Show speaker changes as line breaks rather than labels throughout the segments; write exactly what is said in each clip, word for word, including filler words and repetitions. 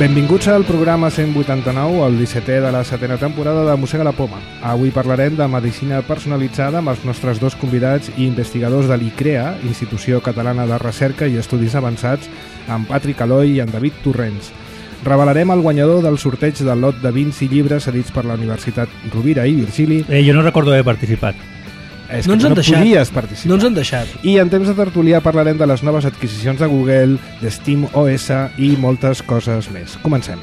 Benvinguts al programa cent vuitanta-nou, el dissetè de la setena temporada de Mossega la Poma. Avui parlarem de medicina personalitzada amb els nostres dos convidats i investigadors de l'I C R E A, Institució Catalana de Recerca i Estudis Avançats, en Patrick Aloy i en David Torrents. Revelarem el guanyador del sorteig del lot de vins i llibres cedits per la Universitat Rovira i Virgili.
Eh, jo no recordo haver participat.
És
no
que
ens han
no
deixat.
podies participar.
No ens han deixat.
I en temps de tertulià parlarem de les noves adquisicions de Google, de SteamOS i moltes coses més. Comencem.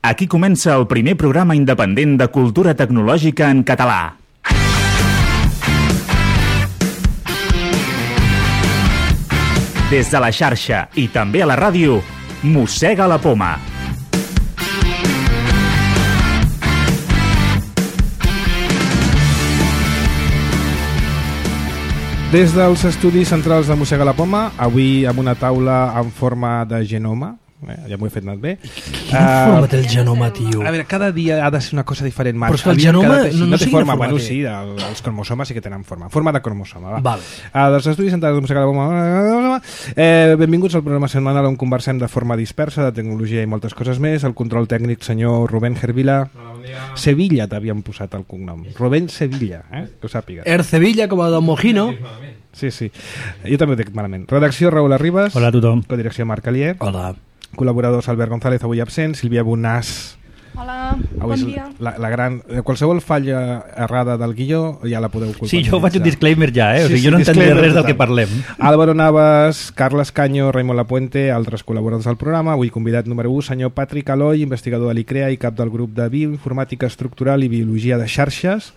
Aquí comença el primer programa independent de cultura tecnològica en català. Des de la xarxa i també a la ràdio, Mossega la Poma.
Des dels estudis centrals de Mossega la Poma, avui amb una taula en forma de genoma, eh, ja m'ho he fet anat bé.
Quina uh, forma té el genoma, tio?
A veure, cada dia ha de ser una cosa diferent.
Però és que el genoma
cada...
no, no,
no té
sé
forma.
forma
Bueno,
té.
sí, el, els cromosomes sí que tenen forma. Forma de cromosoma, va.
Vale.
Uh, dels estudis centrals de Mossega la Poma, eh, benvinguts al programa setmanal on conversem de forma dispersa, de tecnologia i moltes coses més. El control tècnic, senyor Rubén Hervila. Sevilla t'havien posat el cognom. Rubén Sevilla, eh? Que ho sàpigues.
Ercevilla, com a del Mojino.
Sí, sí. Jo també ho dic malament. Redacció, Raül Arribas.
Hola a tothom.
Codirecció, Marc Alier.
Hola.
Col·laboradors, Albert González, avui absent. Sílvia Bonàs.
Hola,
Avui
bon
és
dia.
La, la gran... Qualsevol falla errada del guió ja la podeu culpabilitzar.
Sí, jo faig un disclaimer ja, eh? O sigui,
Sí, sí,
jo no entendré
disclaimer
res del
total.
que parlem.
Álvaro Navas, Carles Caño, Raimon Lapuente, altres col·laboradors del programa. Avui convidat número u, senyor Patrick Aloy, investigador de l'I C R E A i cap del grup de Bioinformàtica Estructural i Biologia de Xarxes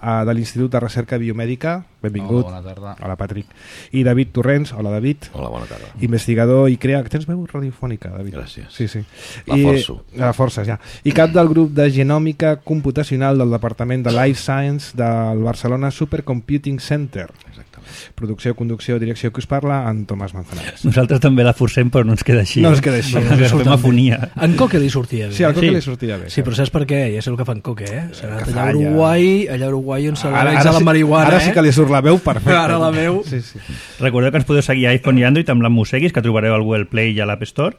uh, de l'Institut de Recerca Biomèdica. Benvingut.
Hola, bona tarda.
Hola, Patrick. I David Torrents. Hola, David.
Hola, bona tarda.
Investigador I C R E A. Tens veu radiofònica, David?
Gràcies.
Sí, sí.
La forço.
La força, ja. I cap del grup de genòmica computacional del Departament de Life Science del Barcelona Supercomputing Center.
Exactament.
Producció, conducció, direcció, que us parla, en Tomàs Manzanares.
Nosaltres també la forcem, però no ens queda així.
No ens queda així.
Perquè fem afonia.
En Coque li sortia bé.
Sí, al Coque
Sí.
li sortia bé.
Sí, però saps per què? Ja sé el que fan Coque, eh? S'ha anat
Que
allà a
falla.
Uruguai, allà a Uruguai on se
Ara,
legalitza
ara,
la
sí,
marihuana,
ara
eh?
sí que li surt la veu perfecta.
Ara la veu.
Sí, sí.
Recordeu que ens podeu seguir a iPhone i Android amb la Mosseguis, que trobareu al Google Play i a l'App Store.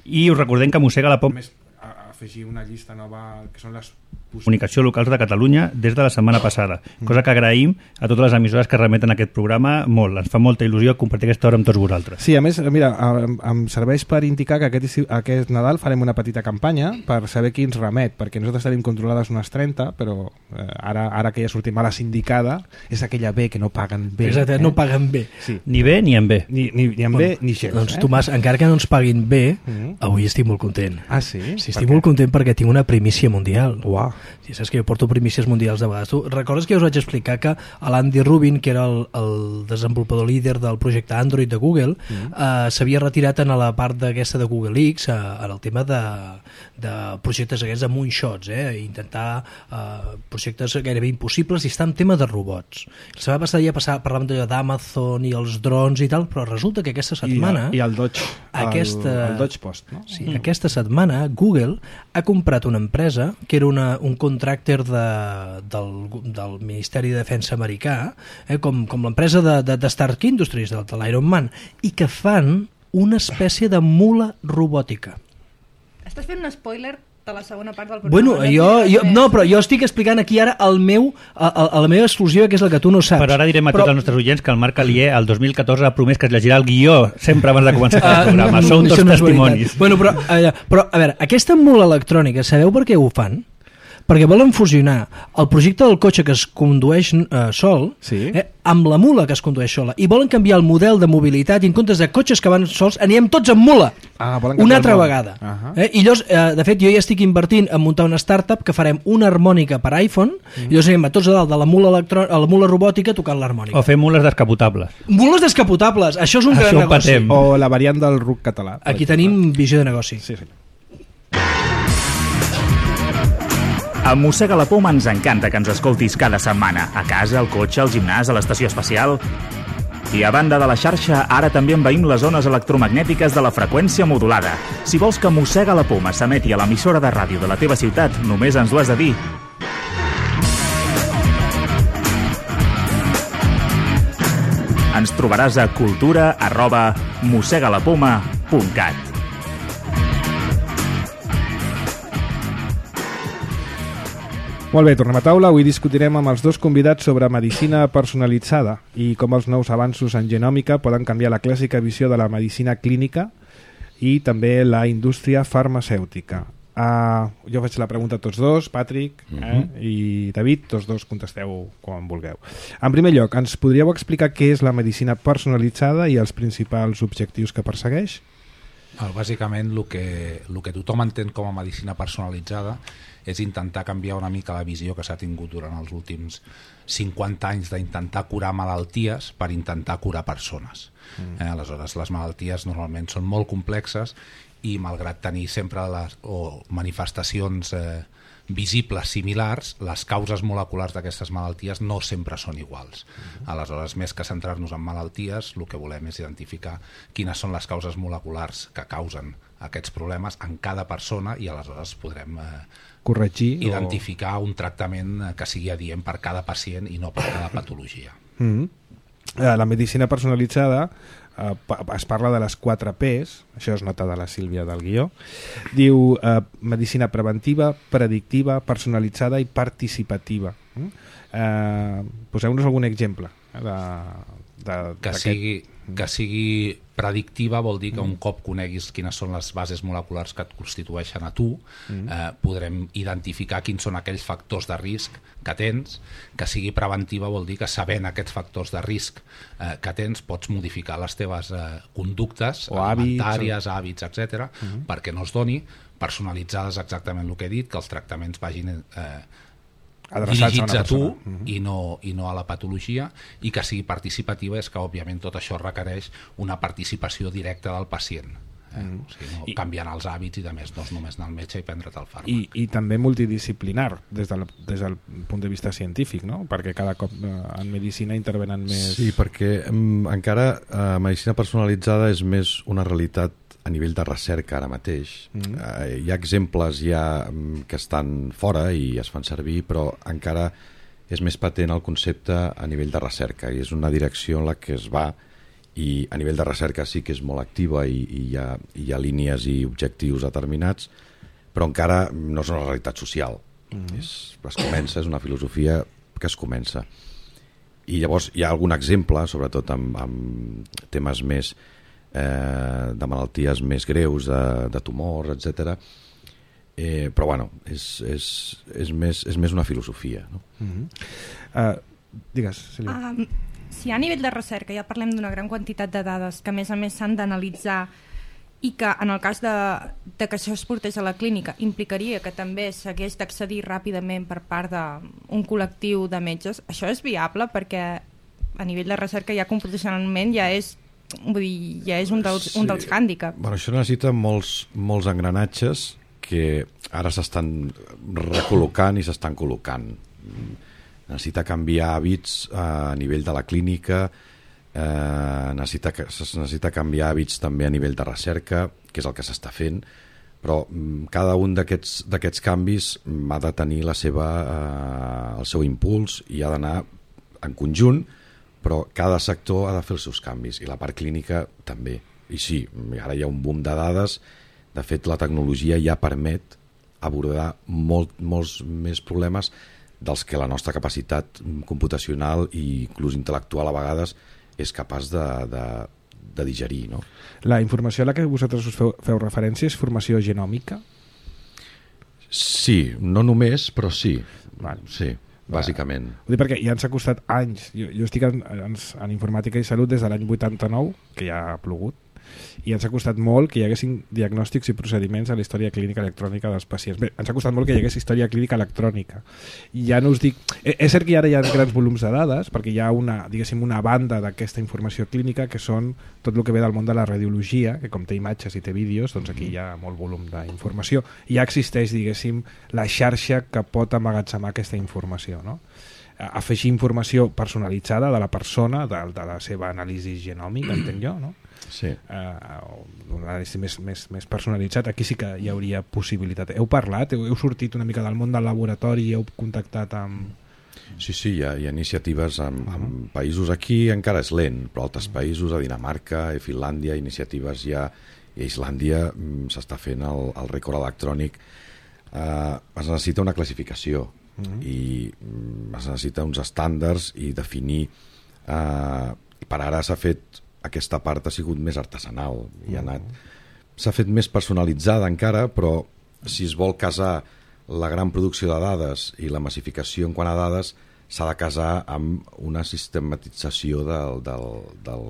I us recordem que Mossega la Poma
Més, a- afegir una llista nova que són les
comunicació locals de Catalunya des de la setmana passada, cosa que agraïm a totes les emissores que remeten aquest programa molt. Ens fa molta il·lusió compartir aquesta hora amb tots vosaltres.
Sí, a més, mira, em, em serveix per indicar que aquest, estiu- aquest Nadal farem una petita campanya per saber qui ens remet, perquè nosaltres tenim controlades unes trenta, però eh, ara, ara que ja sortim a la sindicada, és aquella B que no paguen bé.
Exacte, no paguen bé.
Sí.
Ni bé ni en bé.
Ni, ni, ni en bé ni gens.
Doncs,
eh?
Tomàs, encara que no ens paguin bé,
Mhm.
avui estic molt content.
Ah, sí?
Sí,
Per
estic
què?
molt content perquè tinc una primícia mundial.
Uau.
Sí, saps que jo porto primícies mundials de vegades. Tu recordes que jo us vaig explicar que l'Andy Rubin, que era el, el desenvolupador líder del projecte Android de Google, mm. eh, s'havia retirat en la part d'aquesta de Google X, eh, en el tema de, de projectes aquests de moonshots, eh, intentar eh, projectes gairebé impossibles, i està en tema de robots. La setmana passada ja passava, parlàvem d'allò d'Amazon i els drons i tal, però resulta que aquesta setmana...
I, i el Dodge,
Aquesta-
el, el Dodge Post, no?
Sí, mm. aquesta setmana Google ha comprat una empresa que era una, un contractor de, del, del Ministeri de Defensa americà, eh, com, com l'empresa de, de, de Stark Industries, de, de l'Iron Man, i que fan una espècie de mula robòtica.
Estàs fent un spoiler de la segona part del programa.
Bueno,
No
jo,
explicaràs
jo,
més.
no, però jo estic explicant aquí ara el meu, a, a, a la meva exclusiva, que és la que tu no saps.
Però ara direm a
Però-
tots els nostres oients que el Marc Alier el dos mil catorze ha promès que es llegirà el guió sempre abans de començar
Ah,
el programa.
no,
Són
això
tots
no és
testimonis.
veritat. Bueno, però, eh, però, a veure, aquesta mula electrònica, sabeu per què ho fan? Perquè volen fusionar el projecte del cotxe que es condueix eh, sol
Sí.
eh, amb la mula que es condueix sola, i volen canviar el model de mobilitat, i en comptes de cotxes que van sols anirem tots amb mula.
Ah, volen
Una
canviar
altra
el món.
vegada.
Ahà.
eh? I llavors, eh, de fet, jo ja estic invertint en muntar una startup que farem una harmònica per iPhone, mm. i llavors anirem a tots a dalt de la mula, electrò... a la mula robòtica tocant l'harmònica.
O fer mules descapotables.
Mules descapotables, això és un
Això
gran
ho
negoci.
patem.
O la variant del ruc català. per
Aquí
exemple.
tenim visió de negoci.
Sí, sí.
A Mossega la Poma ens encanta que ens escoltis cada setmana, a casa, al cotxe, al gimnàs, a l'estació espacial. I a banda de la xarxa, ara també envaïm les zones electromagnètiques de la freqüència modulada. Si vols que Mossega la Poma s'emeti a l'emissora de ràdio de la teva ciutat, només ens ho has de dir. Ens trobaràs a cultura arroba mossegalapoma punt cat.
Molt bé, tornem a taula. Avui discutirem amb els dos convidats sobre medicina personalitzada i com els nous avanços en genòmica poden canviar la clàssica visió de la medicina clínica i també la indústria farmacèutica. Uh, jo faig la pregunta a tots dos, Patrick eh, uh-huh. i David, tots dos contesteu quan vulgueu. En primer lloc, ens podríeu explicar què és la medicina personalitzada i els principals objectius que persegueix?
Well, bàsicament el que, el que tothom entén com a medicina personalitzada és intentar canviar una mica la visió que s'ha tingut durant els últims cinquanta anys d'intentar curar malalties per intentar curar persones. Mm. Eh, aleshores, les malalties normalment són molt complexes i malgrat tenir sempre les, o manifestacions eh, visibles similars, les causes moleculars d'aquestes malalties no sempre són iguals. Mm. Aleshores, més que centrar-nos en malalties, el que volem és identificar quines són les causes moleculars que causen aquests problemes en cada persona i aleshores podrem eh,
corregir
identificar o... un tractament que sigui adient per cada pacient i no per cada patologia.
Mm-hmm. eh, la medicina personalitzada eh, es parla de les quatre P's, això es nota de la Sílvia del guió. Diu eh, medicina preventiva, predictiva, personalitzada i participativa. Mm? Eh, poseu-nos algun exemple de, de,
que sigui que sigui predictiva vol dir que un cop coneguis quines són les bases moleculars que et constitueixen a tu, mm. eh, podrem identificar quins són aquells factors de risc que tens. Que sigui preventiva vol dir que sabent aquests factors de risc eh, que tens pots modificar les teves eh, conductes
o
alimentàries,
hàbits,
hàbits, etcètera, mm. perquè no es doni. Personalitzades exactament el que he dit, que els tractaments vagin eh, dirigits a, a tu uh-huh. i, no, i no a la patologia, i que sigui participativa és que òbviament tot això requereix una participació directa del pacient, eh? uh-huh. o sigui, no I, canviant els hàbits i de més, no és només anar al metge i prendre't el fàrmac.
I, i també multidisciplinar des, de la, des del punt de vista científic, no? Perquè cada cop eh, en medicina intervenen més...
Sí, perquè um, encara eh, medicina personalitzada és més una realitat a nivell de recerca ara mateix. Mm. Eh, hi ha exemples ja que estan fora i es fan servir, però encara és més patent el concepte a nivell de recerca i és una direcció en la que es va, i a nivell de recerca sí que és molt activa i, i hi, ha, hi ha línies i objectius determinats, però encara no és una realitat social. Mm. És, es comença, és una filosofia que es comença. I llavors hi ha algun exemple, sobretot amb, amb temes més Eh, de malalties més greus, de, de tumors, etcètera. Eh, però bueno, és, és, és, més, és més una filosofia, no?
Mm-hmm. uh, digues, Sílvia.
Um, si a nivell de recerca ja parlem d'una gran quantitat de dades que a més a més s'han d'analitzar i que en el cas de, de que això es portés a la clínica implicaria que també s'hagués d'accedir ràpidament per part d'un col·lectiu de metges, això és viable perquè a nivell de recerca ja computacionalment ja és vull dir, ja és un dels, sí. un dels hàndicaps.
Bueno, això necessita molts, molts engranatges que ara s'estan recol·locant i s'estan col·locant. Necessita canviar hàbits a nivell de la clínica, eh, necessita, necessita canviar hàbits també a nivell de recerca, que és el que s'està fent, però cada un d'aquests d'aquests canvis ha de tenir la seva, eh, el seu impuls i ha d'anar en conjunt, però cada sector ha de fer els seus canvis i la part clínica també. I sí, ara hi ha un boom de dades, de fet la tecnologia ja permet abordar molt, molts més problemes dels que la nostra capacitat computacional i inclús intel·lectual a vegades és capaç de, de, de digerir, no?
La informació a la que vosaltres us feu, feu referència és formació genòmica?
Sí, no només, però sí.
Vale.
Sí. Bàsicament.
Ho dic perquè ja ens ha costat anys. Jo, jo estic en, en, en informàtica i salut des de l'any vuitanta-nou, que ja ha plogut, i ens ha costat molt que hi haguessin diagnòstics i procediments a la història clínica electrònica dels pacients. Bé, ens ha costat molt que hi hagués història clínica electrònica. I ja no us dic... És cert que ara hi ha grans volums de dades, perquè hi ha una, diguéssim, una banda d'aquesta informació clínica que són tot el que ve del món de la radiologia, que com té imatges i té vídeos, doncs aquí hi ha molt volum d'informació. I ja existeix, diguéssim, la xarxa que pot emmagatzemar aquesta informació, no? Afegir informació personalitzada de la persona, de, de la seva anàlisi genòmica, entenc jo, no?
Sí.
Uh, un anàlisi més, més, més personalitzat. Aquí sí que hi hauria possibilitat. Heu parlat? Heu, heu sortit una mica del món del laboratori i heu contactat amb,
Sí, sí, hi ha, hi ha iniciatives en, uh -huh. en països aquí, encara és lent, però altres països, a Dinamarca, a Finlàndia, iniciatives ja, i a Islàndia s'està fent el, el rècord electrònic. Eh, es necessita una classificació uh -huh. i es necessita uns estàndards i definir. Eh, per ara s'ha fet, aquesta part ha sigut més artesanal i ha anat, s'ha fet més personalitzada encara, però si es vol casar la gran producció de dades i la massificació en quant a dades, s'ha de casar amb una sistematització del, del, del,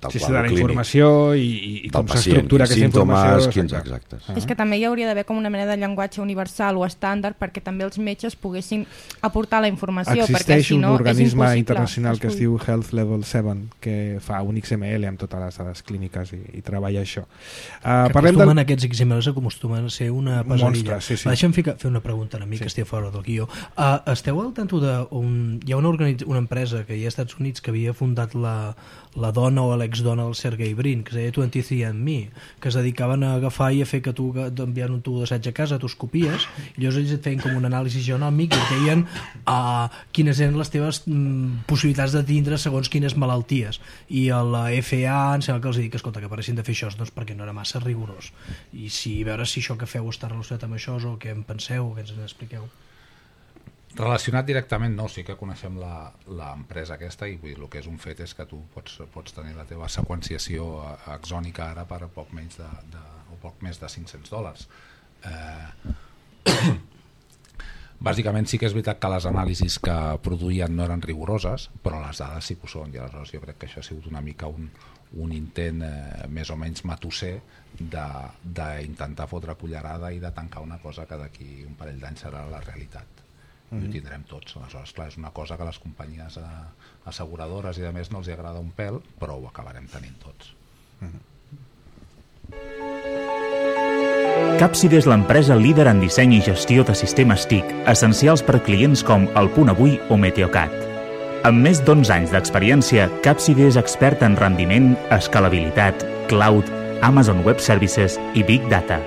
del
sí, sí,
quadre
de la
clínic.
Informació i, i com s'estructura aquesta informació.
Quins, exacte.
Uh -huh. És que també hi hauria d'haver com una mena de llenguatge universal o estàndard perquè també els metges poguessin aportar la informació.
Existeix
perquè, si no,
un organisme
és
internacional que es diu Health Level set, que fa un X M L amb totes les dades clíniques i, i treballa això. Uh,
que acostumen del... aquests X M Ls acostumen a ser una pesadilla.
Monstre, sí, sí.
Deixa'm ficar, fer una pregunta a mi, sí. que estic fora del guió. Uh, esteu al tanto de... Un, hi ha una, organitz... una empresa que hi ha als Estats Units que havia fundat la, la dona o l'exdona del Sergey Brin, que es deia vint-i-tres and me, que es dedicaven a agafar i a fer que tu t'enviant un tub d'assaig a casa, tu es copies, i llavors ells et feien com un anàlisi genòmic i et deien uh, quines eren les teves mm, possibilitats de tindre segons quines malalties. I a la F A em sembla que els dic, escolta, que paressin de fer això, doncs perquè no era massa rigorós. I si veure si això que feu està relacionat amb això o què en penseu o què ens en expliqueu.
Relacionat directament no, sí que coneixem l'empresa aquesta i vull dir, el que és un fet és que tu pots, pots tenir la teva seqüenciació axònica ara per poc menys de, de, o poc més de cinc-cents dòlars. Eh, bàsicament sí que és veritat que les anàlisis que produïen no eren rigoroses, però les dades sí que ho són i aleshores jo crec que això ha sigut una mica un, un intent eh, més o menys matusser d'intentar fotre cullerada i de tancar una cosa que d'aquí un parell d'anys serà la realitat. I ho tindrem tots. Aleshores, clar, és una cosa que les companyies asseguradores i de més no els agrada un pèl, però ho acabarem tenint tots.
Capside és l'empresa líder en disseny i gestió de sistemes T I C, essencials per clients com El Punt Avui o Meteocat. Amb més d'onze anys d'experiència, Capside és expert en rendiment, escalabilitat, cloud, Amazon Web Services i Big Data.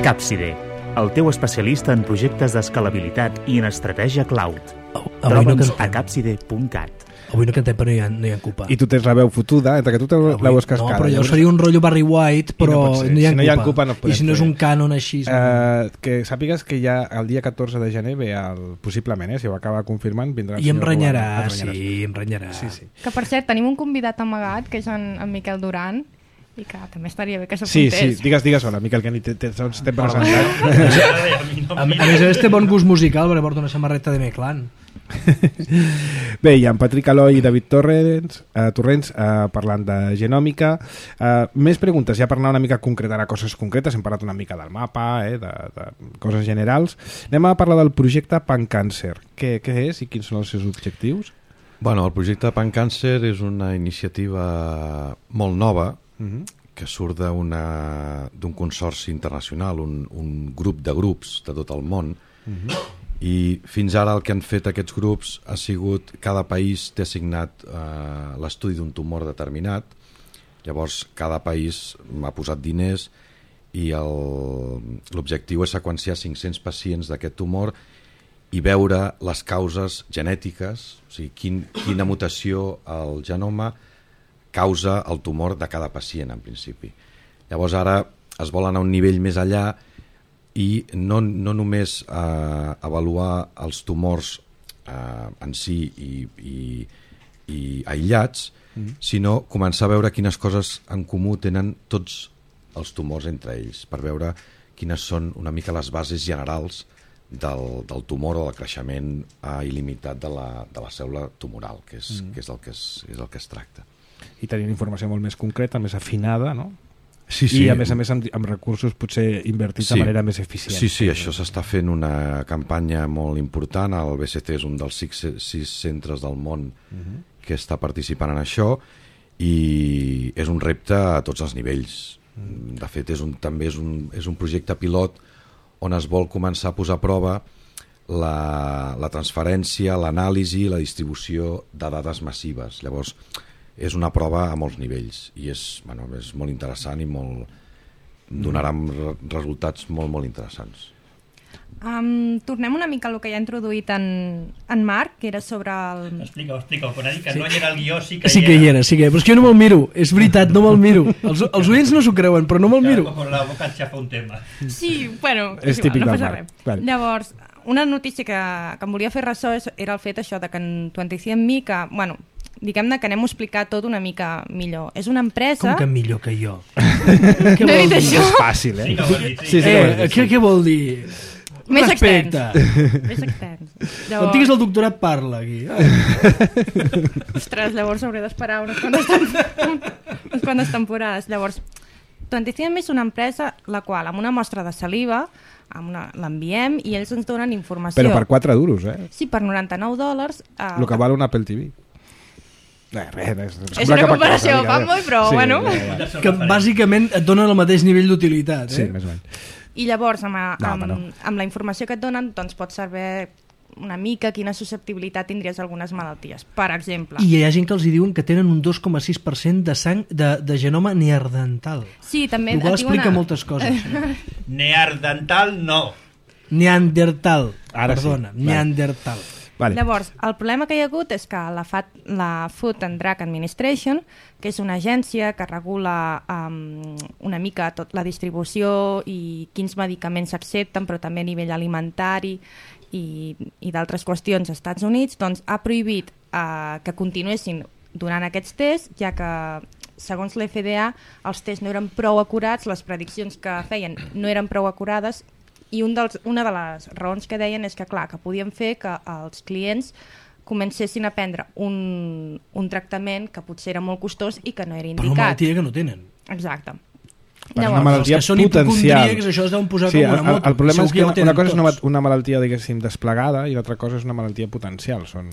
Capside, el teu especialista en projectes d'escalabilitat i en estratègia cloud. Troba'ns no a capside punt cat.
Avui no cantem, però no hi ha, no hi ha culpa.
I tu tens la veu fotuda, entre que tu te la veus cascada.
No, però jo seria un rotllo Barry White, però
no,
no hi ha
si no hi ha culpa no
I si no és un cànon així...
Uh, que sàpigues que ja el dia catorze de gener ve el, possiblement, eh, si ho acaba confirmant, vindrà el
I em
senyor
renyarà,
Robert,
sí, em renyarà.
Sí, sí.
Que per cert, tenim un convidat amagat, que és en, en Miquel Duran, i que també estaria bé que
s'apuntés. Sí, sí, digues, digues hola, Miquel, que ni t'hem presentat.
A més a més té bon gust musical perquè porta una samarreta de Meclan.
Bé, hi ha en Patrick Aloy i David Torrents, eh, Torrents eh, parlant de genòmica. Eh, més preguntes, ja per anar una mica a concretar a coses concretes, hem parlat una mica del mapa, eh, de, de coses generals. Anem a parlar del projecte Pancàncer. Què, què és i quins són els seus objectius?
Bueno, el projecte Pancàncer és una iniciativa molt nova, Uh-huh. que surt d'un consorci internacional, un, un grup de grups de tot el món, uh-huh. i fins ara el que han fet aquests grups ha sigut, cada país té assignat eh, l'estudi d'un tumor determinat, llavors cada país ha posat diners i l'objectiu és seqüenciar cinc-cents pacients d'aquest tumor i veure les causes genètiques, o sigui, quin, quina mutació al genoma causa el tumor de cada pacient, en principi. Llavors ara es vol anar a un nivell més enllà i no, no només eh, avaluar els tumors eh, en si i, i, i aïllats, mm. sinó començar a veure quines coses en comú tenen tots els tumors entre ells, per veure quines són una mica les bases generals del, del tumor o del creixement eh, il·limitat de la, de la cèl·lula tumoral, que és, mm. que és, el que és, és el que es tracta.
I tenint informació molt més concreta, més afinada, no?
Sí, sí.
I a més a més amb, amb recursos potser invertits sí. de manera més eficient.
Sí, sí, això s'està fent una campanya molt important. El B C T és un dels sis, sis centres del món uh-huh. que està participant en això i és un repte a tots els nivells. Uh-huh. De fet, és un, també és un, és un projecte pilot on es vol començar a posar a prova la, la transferència, l'anàlisi i la distribució de dades massives. Llavors, és una prova a molts nivells i és, bueno, és molt interessant i molt, donarà resultats molt, molt interessants.
Um, tornem una mica al que ja ha introduït en, en Marc, que era sobre el...
Explica-ho, explica-ho, quan ha dit que sí. No hi era el guió, sí que
sí
hi
que
era.
hi era, sí que hi era, però és que jo no me'l miro, és veritat, no me'l miro. Els, els oients no s'ho creuen, però no me'l miro.
Com la boca et xafa un tema.
Sí, bueno,
és
igual,
típic
no
del
passa
Marc.
res.
Vale.
Llavors, una notícia que, que em volia fer ressò era el fet això de que en vint-i-cinc and me, que, bueno, diguem-ne que anem a explicar tot una mica millor. És una empresa...
Com que millor que jo?
Què no he dit això?
És fàcil, eh?
Sí que ho has dit, sí.
Sí, sí,
Eh,
sí, sí.
què, què vol dir?
Més
Respecte.
extens. Més extens.
Quan tinguis el doctorat parla aquí.
Ostres, llavors hauré d'esperar unes quantes, tem... unes quantes temporades. Llavors, vint-i-cinc and me és una empresa la qual, amb una mostra de saliva, amb una... l'enviem i ells ens donen informació.
Però per quatre duros, eh?
Sí, per noranta-nou dòlars. Eh...
El que val un Apple T V. Eh, res, res,
És una comparació fanboy, però
sí,
bueno.
Ja, ja.
Que bàsicament et donen el mateix nivell d'utilitat. Eh?
Sí, més o menys.
I llavors, amb,
No,
amb,
no.
amb la informació que et donen, doncs pots saber una mica quina susceptibilitat tindries a algunes malalties. Per exemple...
I hi ha gent que els hi diuen que tenen un dos coma sis per cent de sang de, de genoma neandertal.
Sí, també...
El qual
et diu
explica
una-
moltes coses.
Neandertal no.
Neandertal.
Ara sí.
Perdona,
Vale.
neandertal.
Vale.
Llavors, el problema que hi ha hagut és que la, F A T, la Food and Drug Administration, que és una agència que regula um, una mica tot la distribució i quins medicaments s'accepten, però també a nivell alimentari i, i d'altres qüestions als Estats Units, doncs ha prohibit uh, que continuessin donant aquests tests, ja que segons l'F D A els tests no eren prou acurats, les prediccions que feien no eren prou acurades, i un dels, una de les raons que deien és que, clar, que podien fer que els clients comencessin a prendre un, un tractament que potser era molt costós i que no era
Per una
indicat.
malaltia que no tenen.
Exacte.
Per una malaltia
els que són
potencial.
hipocondríacs, això es deuen posar
Sí,
com
el,
una moto.
el problema
Segur
és que
ja ho
una,
tenen
una cosa és una,
tots.
una malaltia, diguéssim, desplegada i l'altra cosa és una malaltia potencial. Són,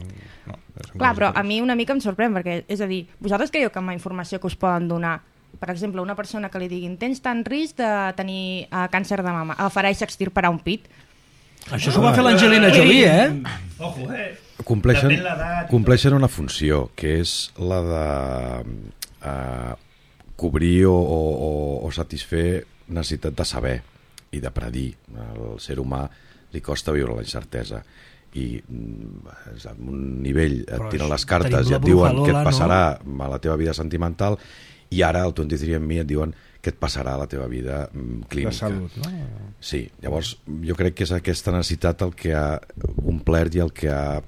no, són
Clar, però a
coses
mi una mica em sorprèn, perquè, és a dir, vosaltres creieu que amb la informació que us poden donar, per exemple, una persona que li diguin tens tant risc de tenir uh, càncer de mama, agafarà i s'extirparà un pit?
Això s'ho va fer l'Angelina Jolie, eh?
Ojo, eh?
Compleixen,
Depèn l'edat.
compleixen una funció, que és la de eh, cobrir o, o, o satisfer necessitat de saber i de predir. Al ser humà li costa viure la incertesa i mm, a un nivell et
Però
tiren
això,
les cartes
tenim
i
la
et diuen
Brujalola,
què et passarà
no?
a la teva vida sentimental, i ara al vint-i-tres and me et diuen què et passarà a la teva vida mm, clínica.
De salut, no?
Sí, llavors jo crec que és aquesta necessitat el que ha omplert i el que ha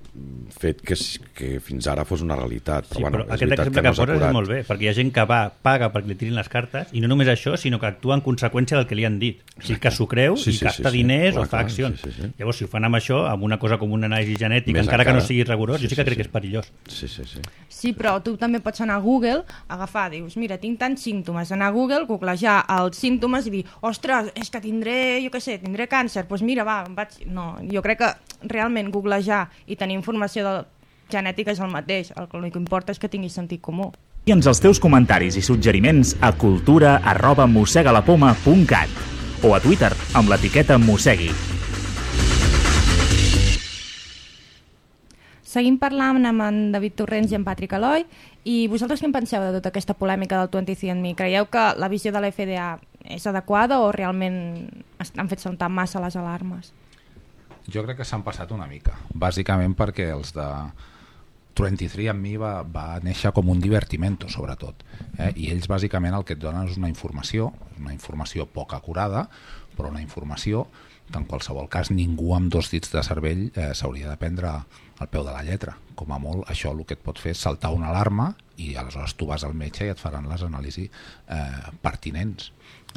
fet que, que fins ara fos una realitat. Però,
Sí,
bueno,
però
és
aquest
veritat
exemple
que
que
no és
poses és
acurat.
molt bé, perquè hi ha gent que va, paga perquè li tirin les cartes, i no només això, sinó que actua en conseqüència del que li han dit. O sigui, que s'ho creu
Sí,
i
sí,
gasta
sí, sí.
diners
Clar,
o fa
clar,
accions.
sí, sí, sí.
Llavors, si ho fan amb això, amb una cosa com una anàlisi genètica,
Més
encara que no
encara.
sigui rigorós,
Sí,
jo sí que
sí,
crec
sí.
que és perillós.
Sí, sí, sí.
Sí, però tu també pots anar a Google, agafar, dius, mira, tinc tants símptomes, anar a Google, googlejar els símptomes i dir, ostres, és que tindré, jo què sé, tindré càncer, doncs mira, va, em vaig... No, jo crec que realment googlejar i tenir informació de genètica és el mateix, el que l'únic que importa és que tinguis sentit comú.
Envia'ns els teus comentaris i suggeriments a cultura arroba mossegalapoma punt cat o a Twitter amb l'etiqueta mossegui.
Seguim parlant amb en David Torrents i en Patrick Eloi, i vosaltres què en penseu de tota aquesta polèmica del vint-i-cinc and me? Creieu que la visió de l'F D A és adequada o realment han fet saltar massa les alarmes?
Jo crec que s'han passat una mica, bàsicament perquè els de vint-i-tres and me va, va néixer com un divertimento, sobretot. Eh? I ells bàsicament el que et donen és una informació, una informació poc acurada, però una informació que en qualsevol cas ningú amb dos dits de cervell eh, s'hauria de prendre al peu de la lletra. Com a molt, això el que et pot fer és saltar una alarma i aleshores tu vas al metge i et faran les anàlisis eh, pertinents.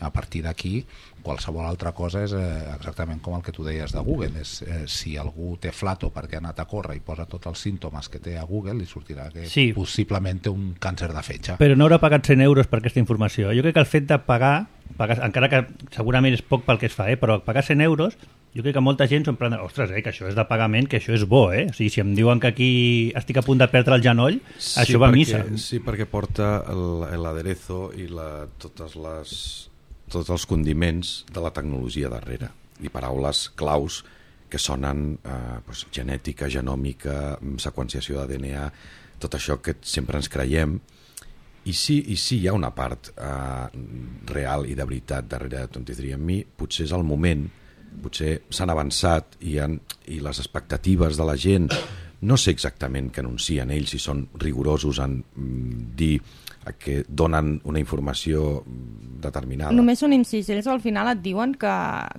A partir d'aquí, qualsevol altra cosa és eh, exactament com el que tu deies de Google. És, eh, si algú té flato perquè ha anat a córrer i posa tots els símptomes que té a Google, li sortirà que
Sí.
possiblement té un càncer de fetge.
Però no haurà pagat cent euros per aquesta informació. Jo crec que el fet de pagar, pagar encara que segurament és poc pel que es fa, eh, però pagar cent euros, jo crec que molta gent s'ho prendrà, ostres, eh, que això és de pagament, que això és bo, eh? O sigui, si em diuen que aquí estic a punt de perdre el genoll,
Sí,
això va a
perquè,
missa.
Sí, perquè porta el- l'aderezo i la, totes les, tots els condiments de la tecnologia darrere i paraules claus que sonen eh, doncs, genètica, genòmica, seqüenciació de D N A, tot això que sempre ens creiem. I sí, i sí hi ha una part eh, real i de veritat darrere de vint-i-tres and me. Potser és el moment potser s'han avançat i, han, i les expectatives de la gent, no sé exactament què anuncien ells, si són rigorosos en mm, dir que donen una informació determinada.
Només un incís, ells al final et diuen que,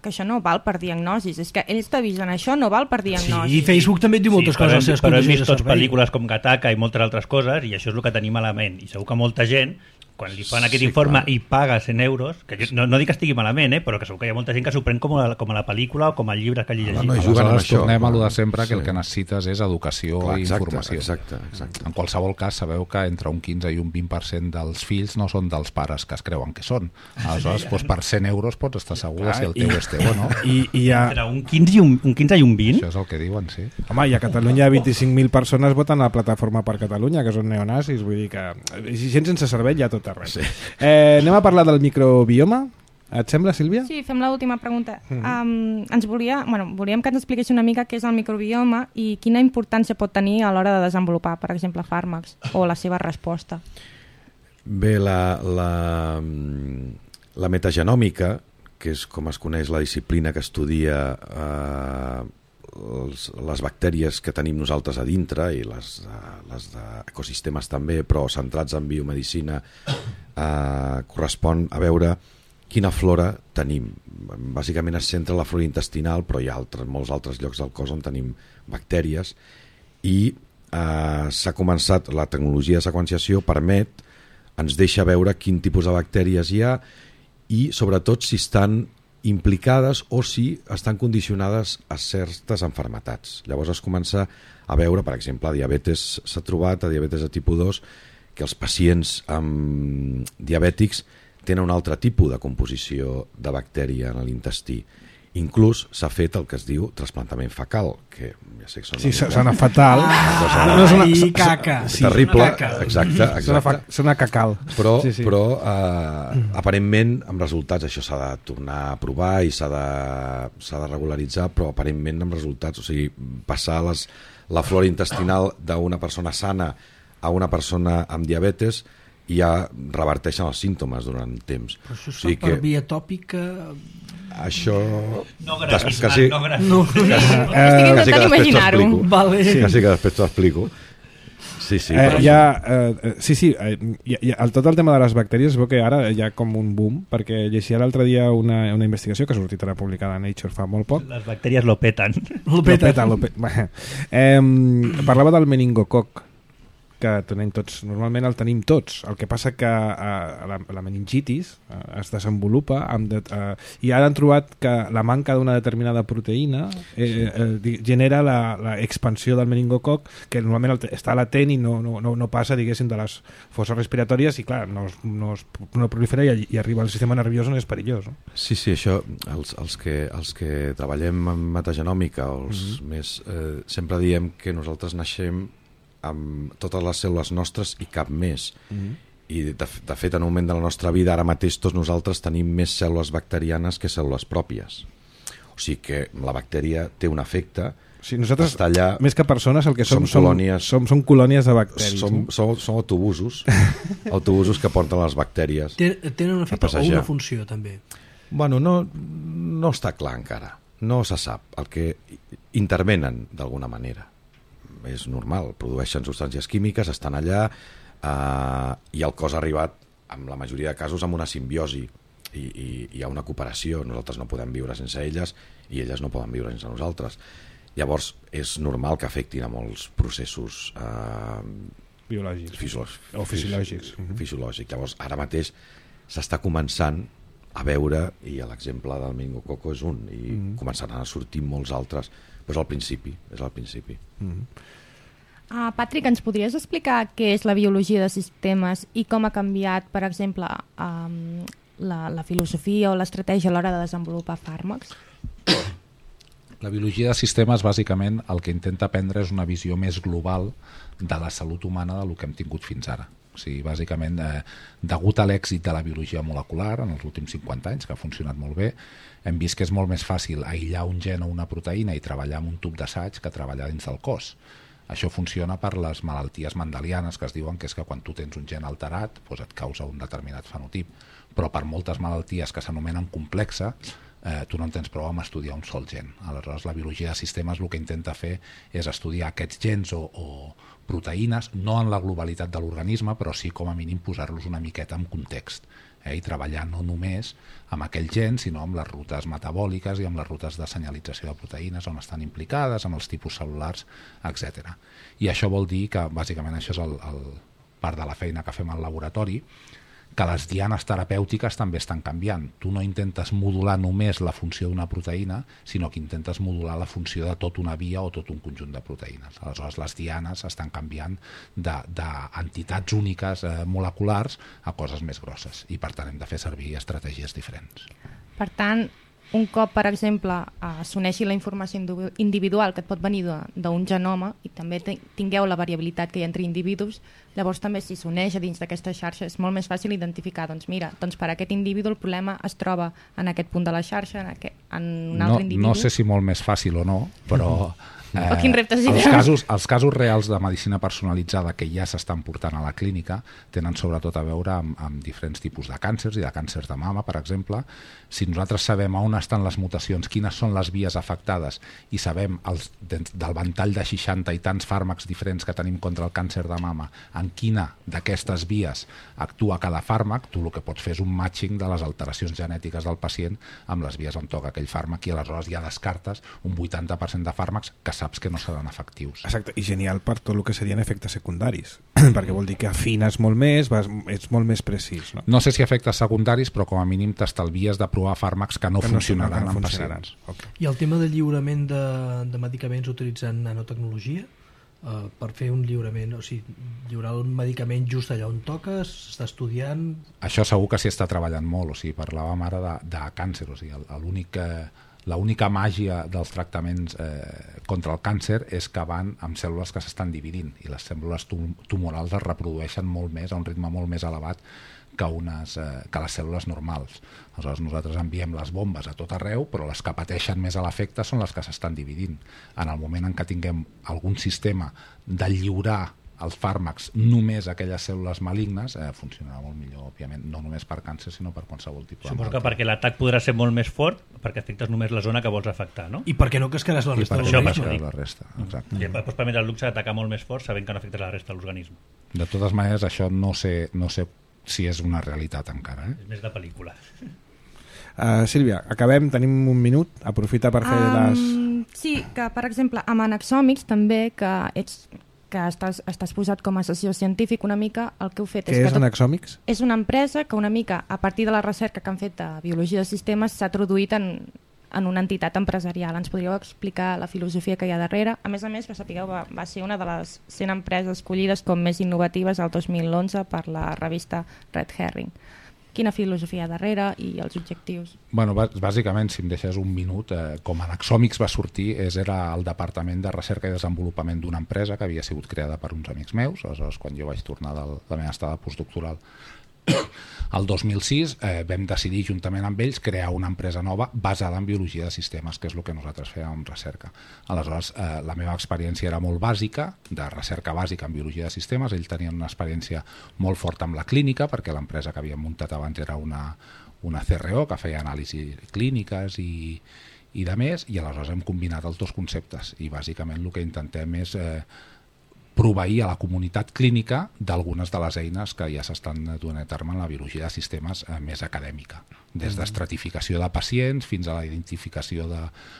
que això no val per diagnosis, és que ells t'avisen, això no val per diagnosis.
Sí, i Facebook també et diu moltes
sí,
coses.
Però,
als seus
però hem
condicions
vist
de
tots
servei.
pel·lícules com Gattaca i moltes altres coses, i això és el que tenim a la ment. I segur que molta gent, quan li fan aquest
Sí,
informe
clar.
i paga cent euros, que jo, no, no dic que estigui malament, eh, però que segur que hi ha molta gent que s'ho pren com a, com a la pel·lícula o com al llibre que hagi llegit.
no hi juguen amb
Aleshores
això.
tornem a lo de sempre, que
Sí.
el que necessites és educació
Clar,
i
exacte,
informació.
exacte, exacte.
En qualsevol cas, sabeu que entre un quinze i un vint per cent dels fills no són dels pares que es creuen que són. Aleshores, doncs, per cent euros pots estar segur de si el teu
i-
és teu o no.
I, i hi ha,
Entre un quinze i un, un quinze i un vint,
Això és el que diuen, sí.
home, i a Catalunya vint-i-cinc mil persones voten a la Plataforma per Catalunya, que són neonazis, vull dir que gent sense cervell hi ha tot arreu.
Sí.
Eh, anem a parlar del microbioma. Et sembla, Sílvia?
Sí, fem l'última pregunta. Um, ens volia, bueno, volíem que ens expliqués una mica què és el microbioma i quina importància pot tenir a l'hora de desenvolupar, per exemple, fàrmacs o la seva resposta.
Bé, la, la, la metagenòmica, que és com es coneix la disciplina que estudia eh, els, les bactèries que tenim nosaltres a dintre i les, eh, les d'ecosistemes també, però centrats en biomedicina, eh, correspon a veure quina flora tenim. Bàsicament es centra en la flora intestinal, però hi ha altres, molts altres llocs del cos on tenim bactèries i eh, s'ha començat, la tecnologia de seqüenciació permet, ens deixa veure quin tipus de bactèries hi ha i sobretot si estan implicades o si estan condicionades a certes enfermetats. Llavors es comença a veure, per exemple, a diabetes s'ha trobat, a diabetes de tipus dos, que els pacients amb diabètics tenen un altre tipus de composició de bactèria en l'intestí. Inclús s'ha fet el que es diu trasplantament fecal, que ja sé que sona,
Sí, sona fatal.
Ah,
No, és una-
i caca.
sí, terrible,
Una caca.
exacte,
Sona,
exacte.
fa, sona cacal.
Però,
Sí, sí.
però eh, aparentment, amb resultats, això s'ha de tornar a provar i s'ha de, s'ha de regularitzar, però aparentment amb resultats, o sigui, passar les, la flora intestinal d'una persona sana a una persona amb diabetes i ja reverteixen els símptomes durant temps.
Però això es
O
fa
sigui
per
que
via tòpica...
això...
no
Des-
gratis,
quasi-
no gratis.
No,
Estic
quasi
intentant
que després
imaginar-ho.
t'explico.
Vale.
Sí. Quasi que després t'ho explico. Sí, sí.
Eh,
però-
hi ha, eh, sí, sí, eh, hi, hi, el, tot el tema de les bactèries es veu que ara hi ha com un boom, perquè llegia l'altre dia una, una investigació que ha sortit ara publicada a Nature fa molt poc.
Les bactèries lo peten.
Lo
Lo
peta.
peta, lo peta. Eh, parlava del meningococ, que tenim tots, normalment el tenim tots, el que passa que eh, la, la meningitis eh, es desenvolupa amb de, eh, i ara han trobat que la manca d'una determinada proteïna eh, eh, genera la, la expansió del meningococ, que normalment el, està latent i no, no, no, no passa, diguéssim, de les fosses respiratòries i clar, no, es- no, es, no prolifera i, i arriba al sistema nerviós on és perillós, no?
Sí, sí, això, els, els, que, els que treballem en metagenòmica, o els mm-hmm. més, eh, sempre diem que nosaltres naixem amb totes les cèl·lules nostres i cap més. Mm-hmm. I de, de fet, en un moment de la nostra vida, ara mateix tots nosaltres tenim més cèl·lules bacterianes que cèl·lules pròpies. O sigui que la bactèria té un efecte.
O sigui, nosaltres,
està allà,
més que persones, el que som,
som
som,
colònies.
som, som colònies de bacteris.
som,
no?
som, som autobusos, autobusos que porten les bactèries.
Ten- Tenen un efecte o
passejar.
una funció, també.
Bueno, no, no està clar encara. No se sap. El que intervenen d'alguna manera. És normal, produeixen substàncies químiques, estan allà eh, i el cos ha arribat, en la majoria de casos, amb una simbiosi i, i hi ha una cooperació. Nosaltres no podem viure sense elles i elles no poden viure sense nosaltres. Llavors, és normal que afectin a molts processos eh,
Biològics.
fisiològics.
O fisiològics.
fisiològics. Llavors, ara mateix s'està començant a veure, i l'exemple del meningococo és un, i mm -hmm. començaran a sortir molts altres, però és al principi, és al principi.
Mm -hmm.
Uh, Patrick, ens podries explicar què és la biologia de sistemes i com ha canviat, per exemple, um, la, la filosofia o l'estratègia a l'hora de desenvolupar fàrmacs?
La biologia de sistemes, bàsicament, el que intenta prendre és una visió més global de la salut humana del que hem tingut fins ara. O sigui, bàsicament, eh, degut a l'èxit de la biologia molecular en els últims cinquanta anys, que ha funcionat molt bé, hem vist que és molt més fàcil aïllar un gen o una proteïna i treballar amb un tub d'assaig que treballar dins del cos. Això funciona per les malalties mendelianes, que es diuen que és que quan tu tens un gen alterat doncs et causa un determinat fenotip, però per moltes malalties que s'anomenen complexa, eh, tu no en tens prou amb estudiar un sol gen. Aleshores, la biologia de sistemes el que intenta fer és estudiar aquests gens o, o proteïnes, no en la globalitat de l'organisme, però sí com a mínim posar-los una miqueta en context, eh, i treballar no només amb aquell gen, sinó amb les rutes metabòliques i amb les rutes de senyalització de proteïnes on estan implicades, amb els tipus cel·lulars, etcètera. I això vol dir que, bàsicament, això és el, el part de la feina que fem al laboratori, que les dianes terapèutiques també estan canviant. Tu no intentes modular només la funció d'una proteïna, sinó que intentes modular la funció de tota una via o tot un conjunt de proteïnes. Aleshores, les dianes estan canviant d'entitats úniques eh, moleculars a coses més grosses, i per tant hem de fer servir estratègies diferents.
Per tant, un cop, per exemple, eh, s'uneixi la informació individual que et pot venir d'un genoma i també tingueu la variabilitat que hi ha entre individus, llavors també si s'uneix a dins d'aquesta xarxa és molt més fàcil identificar, doncs mira, doncs per aquest individu el problema es troba en aquest punt de la xarxa, en, aquest, en un altre
no,
individu.
No sé si molt més fàcil o no, però...
Eh, quin repte
els, casos, els casos reals de medicina personalitzada que ja s'estan portant a la clínica tenen sobretot a veure amb, amb diferents tipus de càncers i de càncers de mama, per exemple. Si nosaltres sabem on estan les mutacions, quines són les vies afectades i sabem els, del ventall de seixanta i tants fàrmacs diferents que tenim contra el càncer de mama, en quina d'aquestes vies actua cada fàrmac, tu el que pots fer és un matching de les alteracions genètiques del pacient amb les vies on toca aquell fàrmac, i aleshores ja descartes un vuitanta per cent de fàrmacs que saps que no seran efectius.
Exacte, i genial per tot el que serien efectes secundaris, perquè vol dir que afines molt més, vas, ets molt més precís. No?
No sé si efectes secundaris, però com a mínim t'estalvies de provar fàrmacs que no que funcionaran no, que no en funcionaran. pacients.
Okay. I el tema del lliurament de, de medicaments utilitzant nanotecnologia, uh, per fer un lliurament, o sigui, lliurar un medicament just allà on toca, s'està estudiant...
Això segur que s'hi està treballant molt, o sigui, parlàvem ara de, de càncer, o sigui, l'únic que... L'única màgia dels tractaments eh, contra el càncer és que van amb cèl·lules que s'estan dividint, i les cèl·lules tum tumorals es reprodueixen molt més, a un ritme molt més elevat que, unes, eh, que les cèl·lules normals. Aleshores nosaltres enviem les bombes a tot arreu, però les que pateixen més a l'efecte són les que s'estan dividint. En el moment en què tinguem algun sistema de lliurar els fàrmacs només a aquelles cèl·lules malignes, eh, funcionarà molt millor, òbviament, no només per càncer, sinó per qualsevol tipus de
Suposo que perquè l'atac podrà ser molt més fort, perquè afectes només la zona que vols afectar, no?
I perquè no cascaràs la resta de
l'organisme. I per això la resta, exacte.
I pots permetre el luxe d'atacar molt més fort sabent que no afectes la resta de l'organisme.
De totes maneres, això no sé, no sé si és una realitat encara. Eh?
És més de pel·lícula.
Uh, Sílvia, acabem, tenim un minut, aprofita per fer um, les...
Sí, que per exemple, amb Anaxòmics també, que ets... que estàs, estàs posat com a sessió científic una mica, el que heu fet...
Què
és,
és
que
Anaxòmics?
És una empresa que una mica, a partir de la recerca que han fet de biologia de sistemes, s'ha traduït en, en una entitat empresarial. Ens podríeu explicar la filosofia que hi ha darrere? A més a més, que sapigueu, va, va ser una de les cent empreses escollides com més innovatives el dos mil onze per la revista Red Herring. Quina filosofia hi ha darrere i els objectius?
Bueno, bàsicament, si em deixes un minut, eh, com Anaxòmics va sortir, és, era el departament de recerca i desenvolupament d'una empresa que havia sigut creada per uns amics meus. Aleshores, quan jo vaig tornar de la meva estada postdoctoral el dos mil sis, eh, vam decidir juntament amb ells crear una empresa nova basada en biologia de sistemes, que és el que nosaltres fèiem amb recerca. Aleshores, eh, la meva experiència era molt bàsica, de recerca bàsica en biologia de sistemes. Ells tenien una experiència molt forta amb la clínica, perquè l'empresa que havíem muntat abans era una, una C R O que feia anàlisis clíniques i, i de més, i aleshores hem combinat els dos conceptes, i bàsicament el que intentem és eh, proveir a la comunitat clínica d'algunes de les eines que ja s'estan duent a terme en la biologia de sistemes eh, més acadèmica, des d'estratificació de pacients fins a la identificació de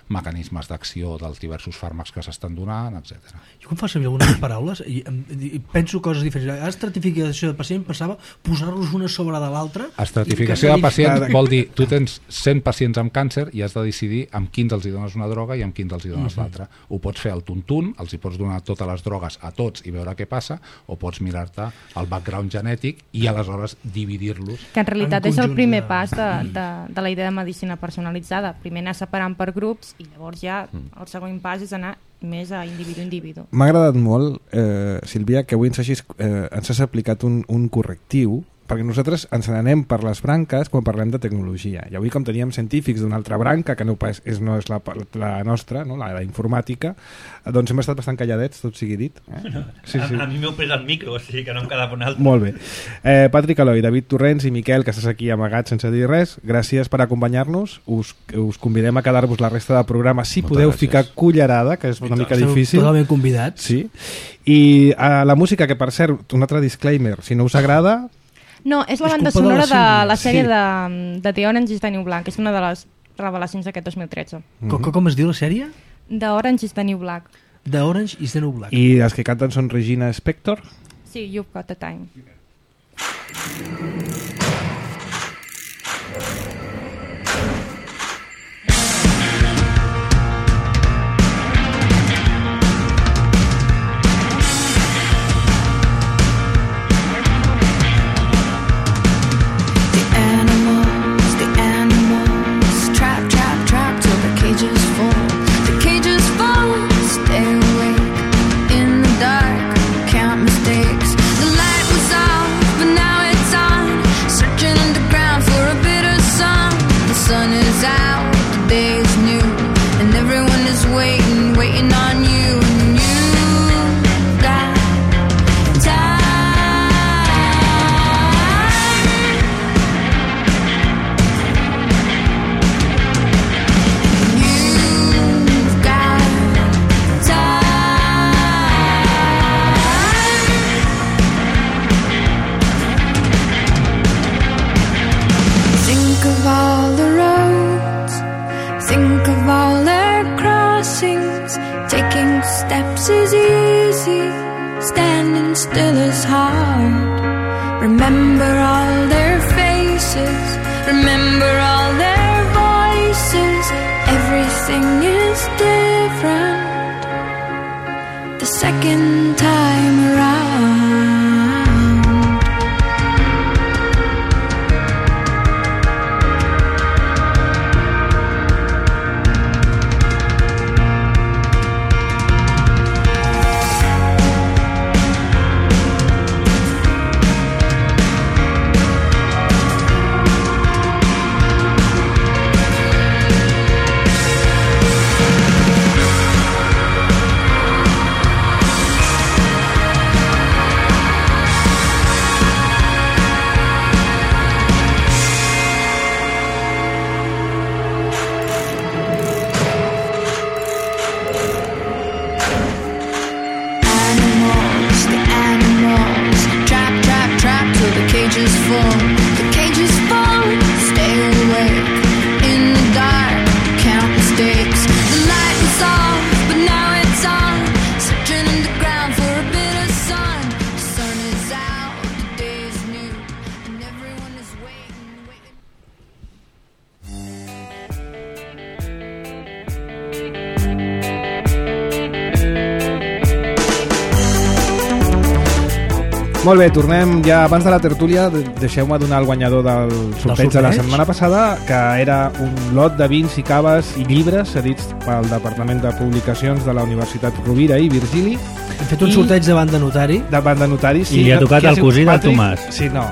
mecanismes d'acció dels diversos fàrmacs que s'estan donant, etcètera.
Jo quan fa servir algunes paraules i, i penso coses diferents. Estratificació de pacient, pensava posar-los una sobre de l'altra.
Estratificació de pacient vol dir, tu tens cent pacients amb càncer i has de decidir amb quins els hi dones una droga i amb quins els hi dones uh-huh. l'altra. Ho pots fer al tuntun, els hi pots donar totes les drogues a tots i veure què passa, o pots mirar-te el background genètic i aleshores dividir-los.
Que en realitat en és el primer de... pas de, de, de la idea de medicina personalitzada. Primer anar separant per grups i llavors ja el següent pas és anar més a individu a individu.
M'ha agradat molt, eh, Sílvia, que avui ens, hagis, eh, ens has aplicat un, un correctiu perquè nosaltres ens n'anem per les branques quan parlem de tecnologia. I avui, com teníem científics d'una altra branca, que no és, no és la, la nostra, no? la, la informàtica, doncs hem estat bastant calladets, tot sigui dit. Eh? Sí, sí.
A, a mi m'heu pres el micro, o sigui que no em quedava un altre.
Molt bé. Eh, Patrick Eloi, David Torrents i Miquel, que estàs aquí amagats sense dir res, gràcies per acompanyar-nos. Us, us convidem a quedar-vos la resta del programa si
Moltes
podeu
gràcies.
ficar cullerada, que és una mica
Esteu
difícil.
totalment convidats.
Sí. I uh, la música, que per cert, un altre disclaimer, si no us agrada...
No, és la
És
banda
culpa de la
sonora de
Sílvia.
la sèrie
Sí.
de, de The Orange is the New Black, que és una de les revelacions d'aquest dos mil tretze.
Com, com es diu la sèrie?
The Orange is the New Black.
The Orange is the New Black.
I els que canten són Regina Spektor.
Sí, You've Got the Time.
Molt bé, tornem ja abans de la tertúlia. Deixeu-me donar el guanyador del sorteig de la setmana passada, que era un lot de vins i caves i llibres cedits pel Departament de Publicacions de la Universitat Rovira i Virgili.
Hem fet un
I...
sorteig davant de notari.
Davant de notari, sí.
I li ha tocat el cosí del Tomàs.
Sí, no.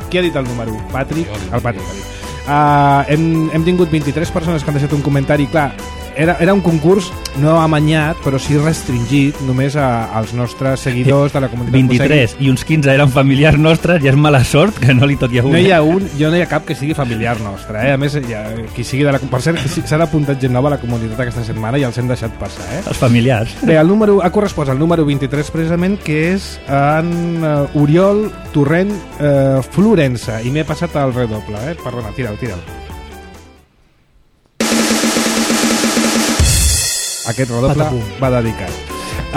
Qui ha dit el número? Patrick? El Patrick. Uh, hem, hem tingut vint-i-tres persones que han deixat un comentari. Clar, era, era un concurs no amanyat, però sí restringit només a, als nostres seguidors de la comunitat
vint-i-tres i uns quinze eren familiars nostres, ja és mala sort que no li toqui a un.
No hi ha un, jo no hi ha cap que sigui familiar nostre, eh? A més, ja, qui sigui de la... Per cert, s'ha apuntat gent nova a la comunitat aquesta setmana i els hem deixat passar, eh?
Els familiars.
Bé, el número, ha correspost al número vint-i-tres precisament, que és en uh, Oriol Torrent uh, Florença, i m'he passat al redoble, eh? Perdona, tira'l, tira'l. Aquest redoble
Patapum.
va dedicat.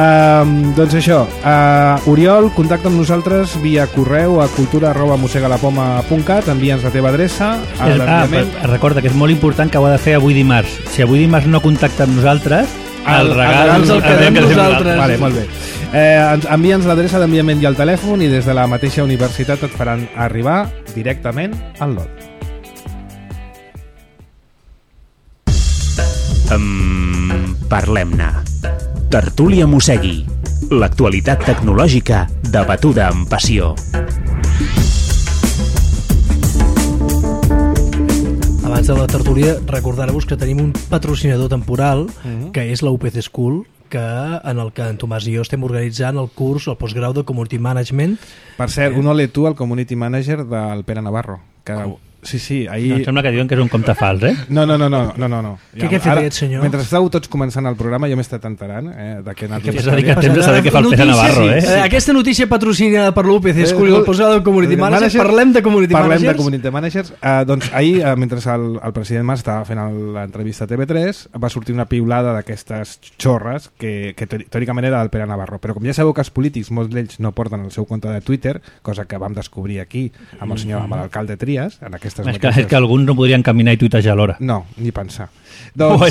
Um, doncs això, uh, Oriol, contacta amb nosaltres via correu a cultura arroba mosegalapoma punt cat, envia'ns la teva adreça.
És, ah, recorda que és molt important que ho ha de fer avui dimarts. Si avui dimarts no contacta amb nosaltres, el, el regal
el, el, el quedem nosaltres.
Vale, molt bé. Eh, envia'ns l'adreça d'enviament i el telèfon, i des de la mateixa universitat et faran arribar directament al lot.
Um, Parlem-ne. Tertúlia Mossegui. L'actualitat tecnològica debatuda amb passió.
convidats de la tertúlia, recordar-vos que tenim un patrocinador temporal, uh-huh. que és la U P C School, que en el que en Tomàs i jo estem organitzant el curs, el postgrau de Community Management.
Per cert, un ole tu al Community Manager del Pere Navarro, que... Oh. Sí, sí, ahir...
No, em sembla que diuen que és un compte fals, eh?
No, no, no, no, no, no, no.
Què, què ha fet aquest senyor?
Mentre estàveu tots començant el programa, jo m'he estat enterant eh, de què ha anat...
És a dir, que temps de saber què fa el Pere Navarro, eh?
Sí. Aquesta notícia patrocinada per l'U P C School i el posat del Community Managers, parlem de Community
parlem
Managers?
Parlem de Community Managers. Uh, doncs ahir, uh, mentre el, el president Mas estava fent l'entrevista a T V tres, va sortir una piulada d'aquestes xorres que, que teòricament era del Pere Navarro. Però com ja sabeu que els polítics, molts d'ells no porten el seu compte de Twitter, cosa que vam descobrir aquí amb el senyor, amb l'alcalde Trias, en aquestes
és que, és que alguns no podrien caminar i tuitejar alhora.
No, ni pensar.
Doncs, oh,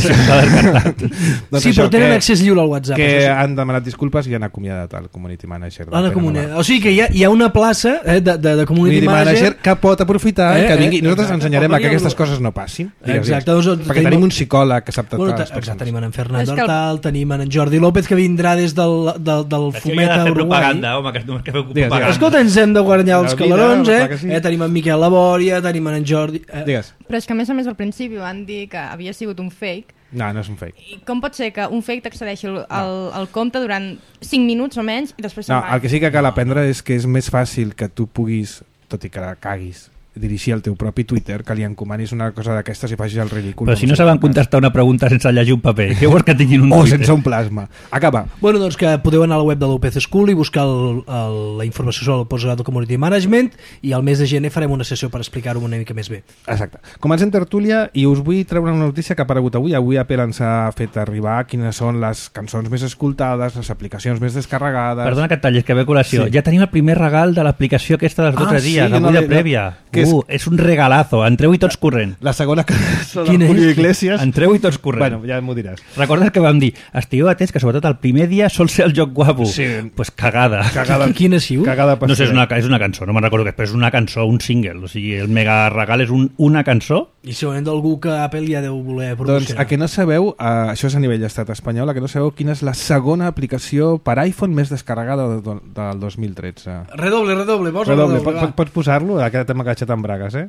doncs sí, però tenen que, accés lliure al WhatsApp.
Que han demanat disculpes i han acomiadat el Community Manager.
Comuni... O sigui que hi ha, hi ha una plaça eh, de, de, de Community, community Manager, manager
que pot aprofitar eh, que vingui. Nosaltres exacte, ensenyarem a que aquestes coses no passin.
Exacte. Doncs,
perquè tenim, tenim un psicòleg que sap
bueno,
tractar les
persones. Tenim en Fernando Hortal, el... tenim en Jordi López, que vindrà des del, del, del Fometa Uruguai.
Propaganda, home, que, que feu propaganda.
Escolta, ens hem de guanyar els calarons, eh? Sí. eh? Tenim en Miquel Labòria, tenim en Jordi... Eh?
Digues.
Però és que a més a més al principi van dir que havia sigut un fake.
No, no és un fake.
I com pot ser que un fake t'accedeixi al, al, al compte durant cinc minuts o menys i després...
No, el que sí que cal aprendre és que és més fàcil que tu puguis, tot i que la caguis, dirigir el teu propi Twitter, que li encomanis una cosa d'aquestes i facis el ridícul.
Però si no saben contestar una pregunta sense llegir un paper, què vols que tinguin un
o
Twitter?
O sense un plasma. Acaba.
Bueno, doncs que podeu anar a la web de l'U P C School i buscar el, el, la informació sobre el postgrau de Community Management i al mes de gener farem una sessió per explicar-ho una mica més bé.
Exacte. Comencem tertúlia i us vull treure una notícia que ha aparegut avui. Avui Apple ens ha fet arribar quines són les cançons més escoltades, les aplicacions més descarregades...
Perdona que et tallis, que ve col·lació. Sí. Ja tenim el primer regal de l'aplicació aquesta dels dotze ah, dies, sí, avui no, de prèvia. No, uh, és... és un regal regalazo, entreu i tots corrent.
La segona cançó del Julio Iglesias.
Entreu i tots corrent.
Bueno, ja m'ho diràs.
Recordes que vam dir, estigueu atents que sobretot el primer dia sol ser el joc guapo.
Sí.
Pues cagada.
Cagada.
Quina siu?
Cagada
no sé, és una, és una cançó, no me'n recordo què, però és una cançó, un single, o sigui, el mega regal és un, una cançó.
I segurament d'algú que Apple ja deu voler promocionar.
Doncs a que no sabeu, uh, això és a nivell d'estat espanyol, a que no sabeu quina és la segona aplicació per iPhone més descarregada de, del dos mil tretze.
Redoble, redoble, posa
redoble.
redoble.
Pots, pots posar-lo? Aquest t'hem agachat amb bragues, eh?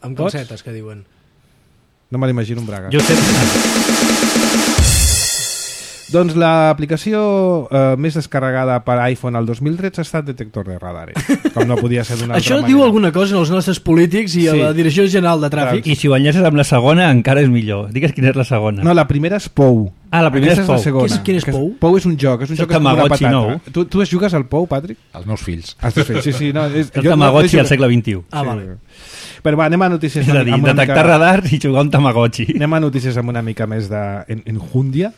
Amb calcetes, que diuen.
No me l'imagino amb bragues.
Jo sé...
Doncs l'aplicació eh, més descarregada per iPhone al dos mil tretze ha estat Detector de Radar. Com no podia ser d'una altra
Això
manera.
diu alguna cosa als nostres polítics i sí. a la Direcció General de Tràfic.
I si ho enllaces amb la segona encara és millor. Digues quina és la segona.
No, la primera és Pou.
Ah, la primera és Pou.
És la segona.
Quin és Pou?
Pou és un joc. És un
és
joc amb una patata. Nou. Tu, tu es jugues al Pou, Patrick?
Els meus fills.
Els teus fills, sí, sí. No, és,
el Tamagotchi no, al segle vint-i-u.
Ah, sí. Vale.
Però va, anem a notícies...
És a dir, detectar mica... radar i jugar un Tamagotchi.
Anem a notícies amb una mica més d'enjúndia.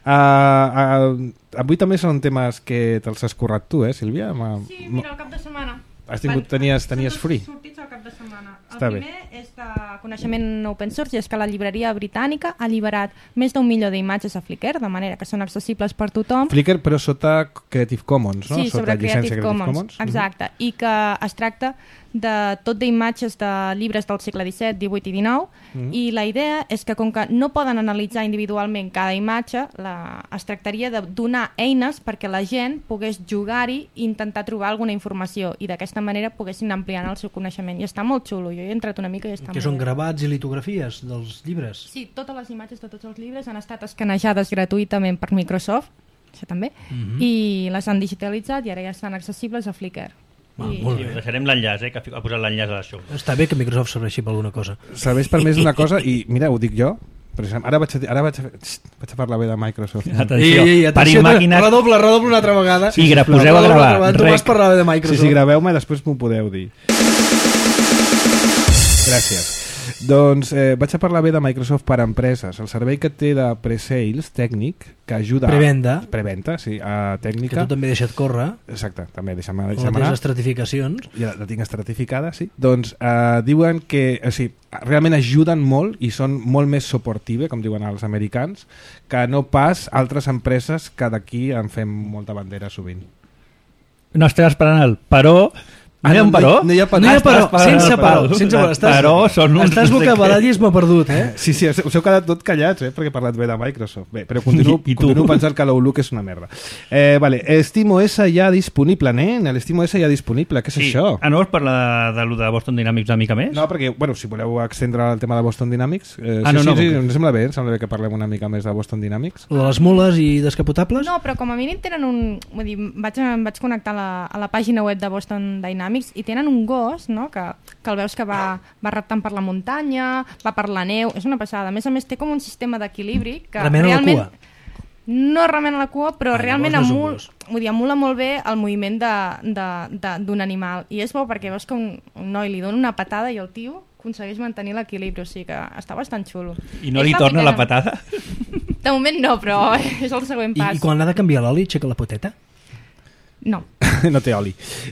Uh, uh, avui també són temes que te'ls has currat tu, eh, Sílvia? Ma...
Sí, mira, el cap de setmana.
Has tingut, tenies, tenies free?
Sortits al cap de setmana. El
Està
primer
bé.
és de coneixement open source i és que la llibreria britànica ha alliberat més d'un milió d'imatges a Flickr, de manera que són accessibles per tothom.
Flickr, però sota Creative Commons, no?
Sí,
sota
sobre
llicència
Creative Commons, Commons. Exacte. Mm-hmm. I que es tracta de tot d'imatges de llibres del segle disset, divuit i dinou, mm-hmm. i la idea és que com que no poden analitzar individualment cada imatge, la... es tractaria de donar eines perquè la gent pogués jugar-hi i intentar trobar alguna informació i d'aquesta manera poguessin ampliar el seu coneixement. I està molt xulo, jo he entrat una mica i està
que
molt
són gravats i litografies dels llibres?
Sí, totes les imatges de tots els llibres han estat escanejades gratuïtament per Microsoft, això també, mm-hmm. i les han digitalitzat i ara ja estan accessibles a Flickr.
Ah,
I...
molt
sí,
bé.
Deixarem l'enllaç, eh, que ha posat l'enllaç a l'això.
Està bé que Microsoft serveixi per alguna cosa.
Serveix per més d'una cosa i, mira, ho dic jo, ara vaig a, ara vaig a, vaig a parlar bé de Microsoft.
Atenció,
ei, ei, atenció
per màquines...
redoble, redoble una altra vegada.
Sí, gra, poseu a gravar.
Tu vas parlar bé de Microsoft.
Sí, sí, graveu-me i després m'ho podeu dir. Gràcies. Doncs eh, vaig a parlar bé de Microsoft per a empreses. El servei que té de pre-sales tècnic que ajuda...
Prevenda.
A, preventa, sí, a tècnica.
Que tu també deixa't córrer.
Exacte, també deixa'm, deixa'm
anar.
anar.
Les estratificacions.
Ja la tinc estratificada, sí. Doncs eh, diuen que o sigui, realment ajuden molt i són molt més supportive, com diuen els americans, que no pas altres empreses que d'aquí en fem molta bandera sovint.
No estem esperant el però... No hi ha un però?
No hi ha però.
No hi ha però,
Estàs
sense
parant,
però. Sense però. Estàs,
però són uns
estàs
no sé
vocabuladisme perdut, eh?
Sí, sí, us us heu quedat tot callats, eh? Perquè he parlat bé de Microsoft. Bé, però continuo,
I tu?
continuo pensant que l'Outlook és una merda. Eh, vale, SteamOS ja disponible, nen. l'SteamOS ja disponible. Què és
Sí.
això?
Ah, no vols parlar de, de, de Boston Dynamics una mica més?
No, perquè, bueno, si voleu extendre el tema de Boston Dynamics... Eh,
Ah,
sí,
no,
sí,
no,
sí,
com que-
em sembla bé, em sembla bé que parlem una mica més de Boston Dynamics.
De les mules i descapotables?
No, però com a mínim tenen un... Vull dir, vaig, em vaig connectar a la, a la pàgina web de Boston Dynamics i tenen un gos, no?, que, que el veus que va, va reptant per la muntanya, va per la neu, és una passada. A més a més té com un sistema d'equilibri que
Remena la
realment...
cua.
No remena la cua, però
Ah,
realment
llavors no és un
emul,
gos.
vull dir, emula molt bé el moviment de- de- de- d'un animal. I és bo perquè veus que un, un noi li dona una patada i el tio aconsegueix mantenir l'equilibri, o sigui que està bastant xulo.
I no
És
li
la
torna la
primera.
patada?
De moment no, però és el següent
I,
pas.
I quan ha de canviar l'oli, aixeca la poteta?
No.
No té oli.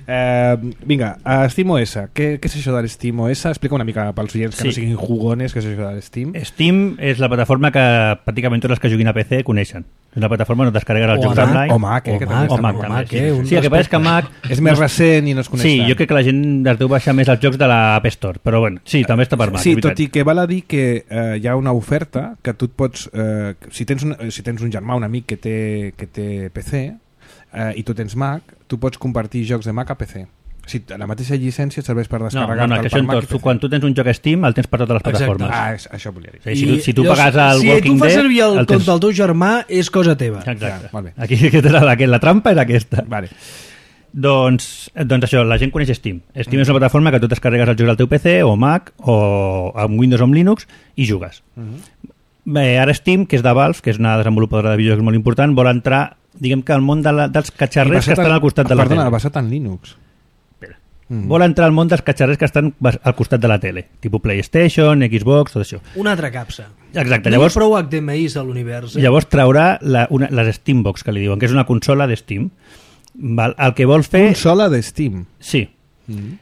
Eh, vinga, uh, SteamOS. Què, què és això de l'SteamOS? Explica una mica pels oients que
Sí.
no siguin jugones què és això de l'Steam.
Steam és la plataforma que pràcticament tots els que juguin a P C coneixen. És una plataforma on descarreguen els
O a
jocs
Mac,
online.
o Mac, eh, que també
o
està
Mac,
molt
també,
Mac,
sí.
eh, un
Sí, el que passa és que Mac...
És més recent i no es coneix
Sí,
tant.
jo crec que la gent es deu baixar més els jocs de l'App Store, però bueno, sí, també està per Mac.
Sí,
és veritat.
tot i que val a dir que eh, hi ha una oferta que tu et pots... Eh, si, tens un, si tens un germà, un amic que té, que té P C eh, i tu tens Mac, tu pots compartir jocs de Mac a P C. Si la mateixa llicència et serveix per
No,
descarregar
no, no, que això en
Mac
tots.
i
Tu,
P C.
quan tu tens un joc a Steam, el tens per totes les
Exacte.
plataformes.
Ah, és, això volia dir.
O sigui, si, tu, si tu
llavors,
pagues el
si
Walking
tu fas
Dead...
servir el,
el
compte
tens...
del teu germà, és cosa teva.
Exacte.
Ja, molt bé.
Aquí aquesta era la, que la trampa era aquesta.
Vale.
Doncs, doncs això, la gent coneix Steam. Steam és una plataforma que tu descarregues els jocs al teu P C o Mac o amb Windows o amb Linux i jugues. Bé, ara Steam, que és de Valve, que és una desenvolupadora de videojocs molt important, vol entrar, diguem que al món de la, dels
I
catxarrers que
basat
estan
en-
al costat de la
Perdona,
tele.
basat en Linux. Mm.
Vol entrar al món dels catxarrers que estan bas- al costat de la tele, tipus PlayStation, Xbox, tot això.
Una altra capsa.
Exacte,
No hi ha
llavors,
prou H D M Is a l'univers. Eh?
llavors traurà la, una, les Steambox, que li diuen, que és una consola de Steam. Val? El que vol fer...
Consola de Steam.
Sí,
Mm.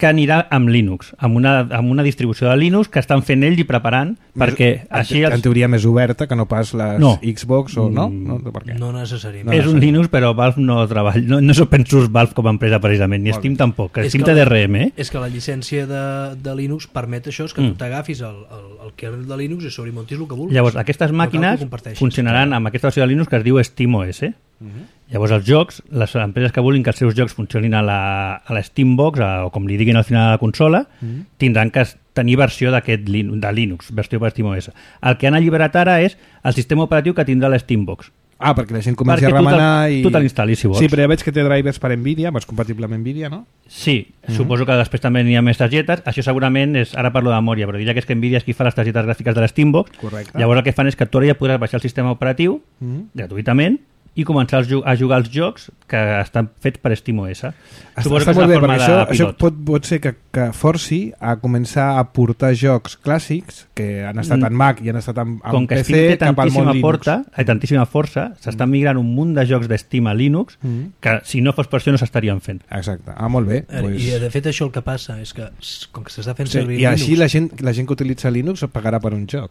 que anirà amb Linux, amb una, amb una distribució de Linux que estan fent ells i preparant, perquè
en,
així
en
els...
teoria més oberta que no pas les
No.
Xbox o no?
Mm.
no? Per què?
No necessàriament.
No,
és un Linux, però Valve no treballa, no, no és open source Valve com a empresa precisament, ni
Molt
Steam
bé.
tampoc, que
És
Steam
que
té
la-
D R M, eh?
És que la llicència de, de Linux permet això, és que
Mm.
tu t'agafis el, el, el kernel de Linux i sobre hi montis el que vulguis.
Llavors, aquestes
No cal que
màquines
ho comparteixis.
funcionaran amb aquesta versió de Linux que es diu SteamOS.
Mhm.
Llavors, els jocs, les empreses que vulguin que els seus jocs funcionin a la, a la Steambox, a, o com li diguin al final a la consola,
Mhm.
tindran que es- tenir versió d'aquest Lin- de Linux, versió per SteamOS. El que han alliberat ara és el sistema operatiu que tindrà la Steambox.
Ah, perquè la gent comenci
Perquè
a
tu te'l-
remenar i...
tu te l'instal·lis, si vols.
Sí, però ja veig que té drivers per Nvidia, és compatible amb Nvidia, no?
Sí, suposo que després també n'hi ha més targetes. Això segurament és, ara parlo de memòria, però diria que és que Nvidia és qui fa les targetes gràfiques de la Steambox.
Correcte.
Llavors el que fan és que tu ara ja podràs baixar el sistema operatiu
Mhm.
gratuïtament i començar a ju- a jugar els jocs que estan fets per SteamOS.
Està,
Suposo
està
que és
molt
una
bé,
forma
perquè això,
de
això
pilot.
pot, pot ser que, que forci a començar a portar jocs clàssics que han estat
Mm.
en Mac i han estat en, en
Com que
P
Steam
C
té
cap al món
tantíssima,
Linux.
porta, eh, tantíssima força, s'està migrant un munt de jocs de Steam a Linux
Mhm.
que si no fos per això no s'estarien fent.
Exacte. Ah, molt bé.
Eh,
Pues...
I de fet això el que passa és que s- com que s'està fent
Sí,
servir
I així
Linux,
la gent, la gent que utilitza Linux pagarà per un joc.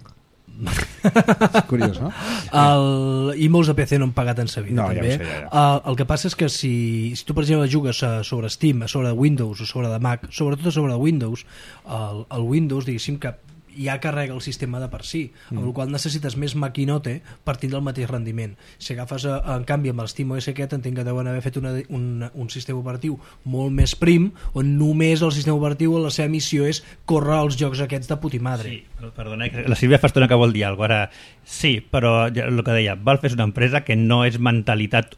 És curiós, no?
el, i molts de P C no han pagat en sa vida,
No, ja
també.
ho sé, ja,
El, el que passa és que si, si tu per exemple jugues a, sobre Steam, a sobre de Windows o sobre de Mac, sobretot a sobre de Windows, el, el Windows diguéssim que ja carrega el sistema de per si, mm. amb el qual necessites més maquinote per tindre el mateix rendiment. Si agafes, a, en canvi, amb el SteamOS aquest, entenc que deuen haver fet una, un, un sistema operatiu molt més prim, on només el sistema operatiu, la seva missió és córrer els jocs aquests de putimadre.
Sí, perdona, que la Sílvia fa estona que vol dir alguna cosa. Ara, sí, però ja, el que deia, Valve és una empresa que no és mentalitat...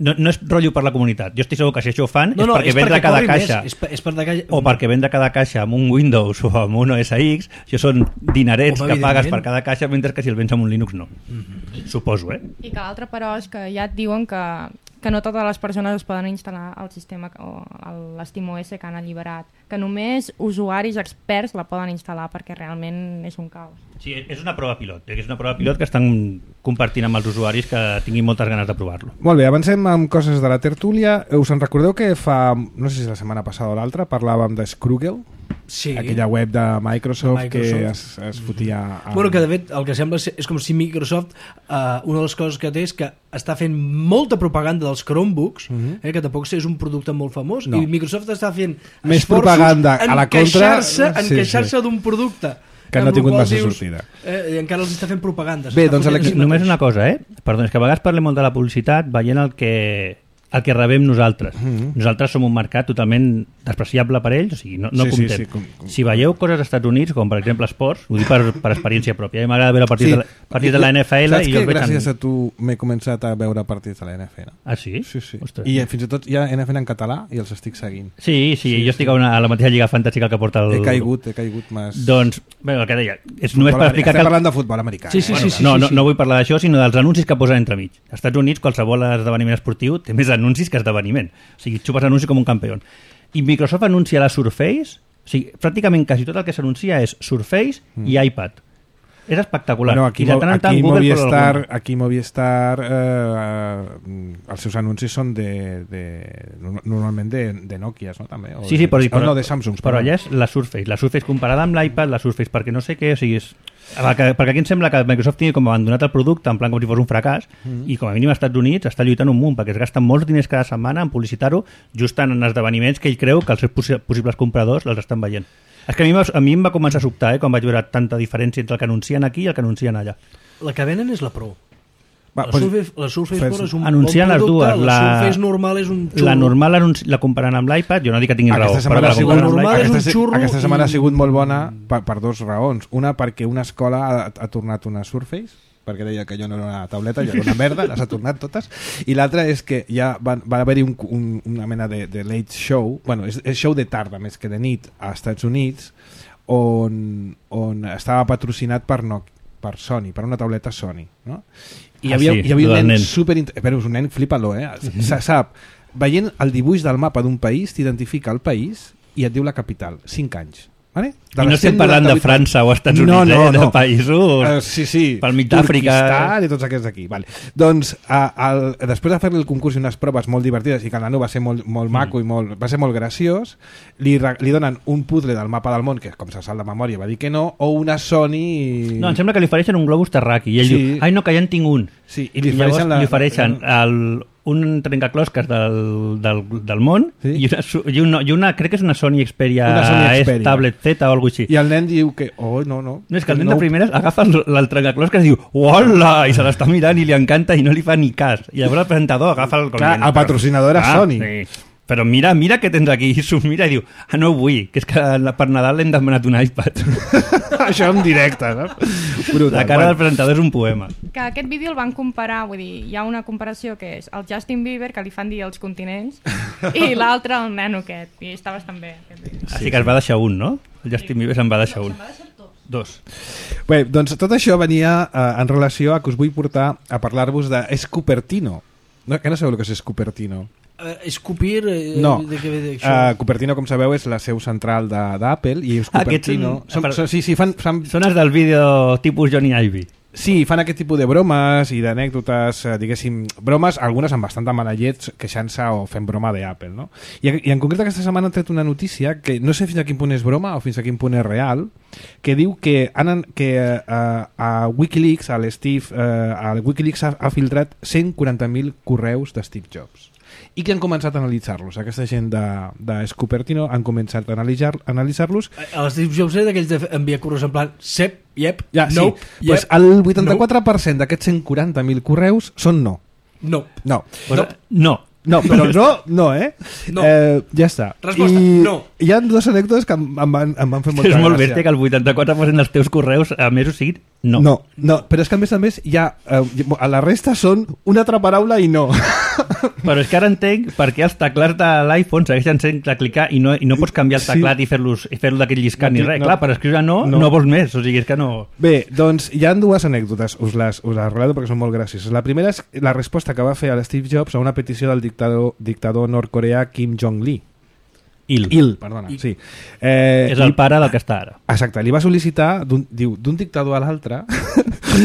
No, no és rotllo per la comunitat. Jo estic segur que si això ho fan
No, no,
és perquè
és
vendre
perquè
cada
corri
caixa
més, és, per, és per de caixa...
o perquè vendre cada caixa amb un Windows o amb un O S X, això són dinerets
Home,
que pagues
evidentment.
per cada caixa, mentre que si el vens amb un Linux no.
Mhm.
Suposo, eh?
I que l'altre, però, és que ja et diuen que, que no totes les persones es poden instal·lar el sistema o l'SteamOS que han alliberat, que només usuaris experts la poden instal·lar perquè realment és un caos.
Sí, és una prova pilot. És una prova pilot que estan compartint amb els usuaris que tinguin moltes ganes de provar-lo.
Molt bé, avancem amb coses de la tertúlia. Us en recordeu que fa, no sé si la setmana passada o l'altra, parlàvem de Scroogle?
Sí.
Aquella web de Microsoft,
de Microsoft.
que es, es fotia... Amb...
Bueno, que de fet el que sembla ser, és com si Microsoft, uh, una de les coses que té és que està fent molta propaganda dels Chromebooks, mm-hmm. eh, que tampoc és un producte molt famós,
no.
i Microsoft està fent
més propaganda a la contra,
en
sí,
queixar-se
sí.
d'un producte
que no ha tingut massa
dius,
sortida.
Eh, I encara els està fent propaganda.
Bé, doncs
aquí... Només una cosa, eh? Perdó, és que a vegades parlem molt de la publicitat veient el que, el que rebem nosaltres. Mm-hmm. Nosaltres som un mercat totalment despreciable per ells, o sigui, no, no
sí,
comptem.
Sí, sí, com, com...
Si veieu coses als Estats Units, com per exemple esports, ho dic per, per experiència pròpia, m'agrada veure partits, sí. de, la, partits de la N F L...
Saps
i
que
jo
gràcies
en...
a tu m'he començat a veure partits de la N F L?
Ah, sí?
Sí, sí.
Ostres.
I fins i tot hi ha N F L en català i els estic seguint.
Sí, sí, sí jo estic sí. a, una, a la mateixa lliga fantàstica que porta el...
He caigut, he caigut més...
Doncs, bé, el que deia, és només per explicar...
Estem
que...
parlant de futbol americà.
Sí, sí,
eh?
sí, sí,
no,
sí,
no,
sí.
no vull parlar d'això, sinó dels anuncis que posen entremig. Als Estats Units, qualsevol esdeveniment esportiu té més anuncis que esdeveniment. O sigui, xupes anuncis com un campió. I Microsoft anuncia la Surface, o sigui, pràcticament quasi tot el que s'anuncia és Surface mm. i iPad. És espectacular.
Bueno, aquí,
I de tant en tant
aquí
Google
Movistar, aquí Movistar eh, els seus anuncis són de, de normalment de, de Nokia, no? També, o
sí, sí, però,
de,
però,
no, de Samsung.
Però allà és la Surface. La Surface comparada amb l'iPad, la Surface perquè no sé què, o sigui, és... Perquè, perquè aquí em sembla que Microsoft tingui com abandonat el producte en plan com si fos un fracàs mm. i com a mínim als Estats Units està lluitant un munt perquè es gasten molts diners cada setmana en publicitar-ho just en esdeveniments que ell creu que els seus possi possibles compradors els estan veient. És que a mi, a mi em va començar a sobtar eh, quan vaig veure tanta diferència entre el que anuncien aquí i el que anuncien allà.
La que venen és la Pro.
Va,
la,
pues,
Surface, la Surface Pro és un
anuncien
bon producte,
les dues.
La,
la
Surface normal és un xurro.
La normal anunci, la comparen amb l'iPad, jo no dic que tinguin
aquesta
raó.
Setmana
Però
ha sigut,
la
normal és un
aquesta,
xurro
aquesta setmana
i...
ha sigut molt bona per, per dues raons. Una, perquè una escola ha, ha tornat una Surface, perquè deia que jo no era una tauleta, jo era una merda, les ha tornat totes, i l'altra és que ja va, va haver-hi un, un, una mena de, de late show, bueno, és, és show de tarda més que de nit als Estats Units, on, on estava patrocinat per, no, per Sony, per una tauleta Sony, no? I hi havia,
ah, sí,
hi havia un nen,
nen.
super... Però és un nen, flipa-lo, eh? Sap, veient el dibuix del mapa d'un país, t'identifica el país i et diu la capital. cinc anys. Vale?
I no estem parlant de França o Estats Units,
no, no,
eh?
no.
De països
uh, sí, sí.
pel mig d'Àfrica
i tots aquests d'aquí. Vale. Doncs a, al, després de fer-li el concurs i unes proves molt divertides i que el nano va ser molt, molt maco mm. i molt, va ser molt graciós, li, li donen un puzzle del mapa del món que com se sap de memòria va dir que no, o una Sony...
No, em sembla que li ofereixen un globus terraqui i ell sí. diu, ai no, que ja en tinc un.
Sí, i li
I llavors
ofereixen, la,
li ofereixen el, un trencaclosques del, del, del món sí. i, una, i, una, i una, crec que és una Sony Xperia,
una Sony Xperia.
S Tablet Z o alguna cosa així.
I el nen diu que, oh, no, no.
No, és que el nen no... de primeres agafa el, el trencaclosques i diu, hola, i se l'està mirant i li encanta i no li fa ni cas. I llavors el presentador agafa el...
Clar, el patrocinador era
ah,
Sony.
Sí. Però mira, mira què tens aquí, i s'ho mira i diu, ah, no ho vull, que és que per Nadal l'hem demanat un iPad.
Això en directe, no? Brutal.
La cara del presentador és un poema.
Que aquest vídeo el van comparar, vull dir, hi ha una comparació que és el Justin Bieber, que li fan dir els continents, i l'altre el nano aquest, i està bastant bé.
Sí, Així que es va deixar un, no? El Justin Bieber se'n va deixar un. Dos.
Bé, doncs tot això venia eh, en relació a que us vull portar a parlar-vos de Cupertino. No, que no sabeu el que és Cupertino?
Uh, Escupir... Eh,
no,
de, de, de,
uh, Cupertino, com sabeu, és la seu central d'Apple i és Cupertino...
Ah, són,
són, són, sí, sí, fan, fan...
són els del vídeo tipus Johnny Ive.
Sí, fan aquest tipus de bromes i d'anècdotes, eh, diguéssim, bromes, algunes amb bastanta mala llet, queixant-se o fent broma d'Apple, no? I, I en concret aquesta setmana han tret una notícia que no sé fins a quin punt és broma o fins a quin punt és real, que diu que, han, que uh, a Wikileaks, a l'Steve, uh, a Wikileaks ha, ha filtrat cent quaranta mil correus de Steve Jobs. I que han començat a analitzar-los. Aquesta gent de, de Cupertino han començat a analitzar-los. Analitzar
el Steve Jobs era d'aquells d'enviar correus en plan sep, yep,
ja,
no,
sí. Yep, pues el vuitanta-quatre per cent no. d'aquests cent quaranta mil correus són no.
No.
No.
Pues, no. No.
No, però no, no, eh?
No.
Eh, ja està.
Resposta,
I
no.
Hi ha dues anècdotes que em, em, van, em van fer molta gràcia.
És molt bèstia que el vuitanta-quatre per cent dels teus correus a més o sigui no.
No, no, però és que a més a més hi ha, eh, a la resta són una altra paraula i no.
Però és que ara entenc per què els teclats de l'iPhone segueixen sent de clicar i no, i no pots canviar el teclat sí. i fer-los i fer-lo d'aquell lliscant no, ni res. No. Clar, per escriure no, no, no vols més, o sigui, és que no...
Bé, doncs hi ha dues anècdotes, us les, us les relato perquè són molt gracioses. La primera és la resposta que va fer a Steve Jobs a una petició del dictador, dictador nord-coreà Kim Jong-il.
Il.
Il, perdona, Il. sí. Eh,
és el pare del que està ara.
Exacte, li va sol·licitar, diu, d'un dictador a l'altre,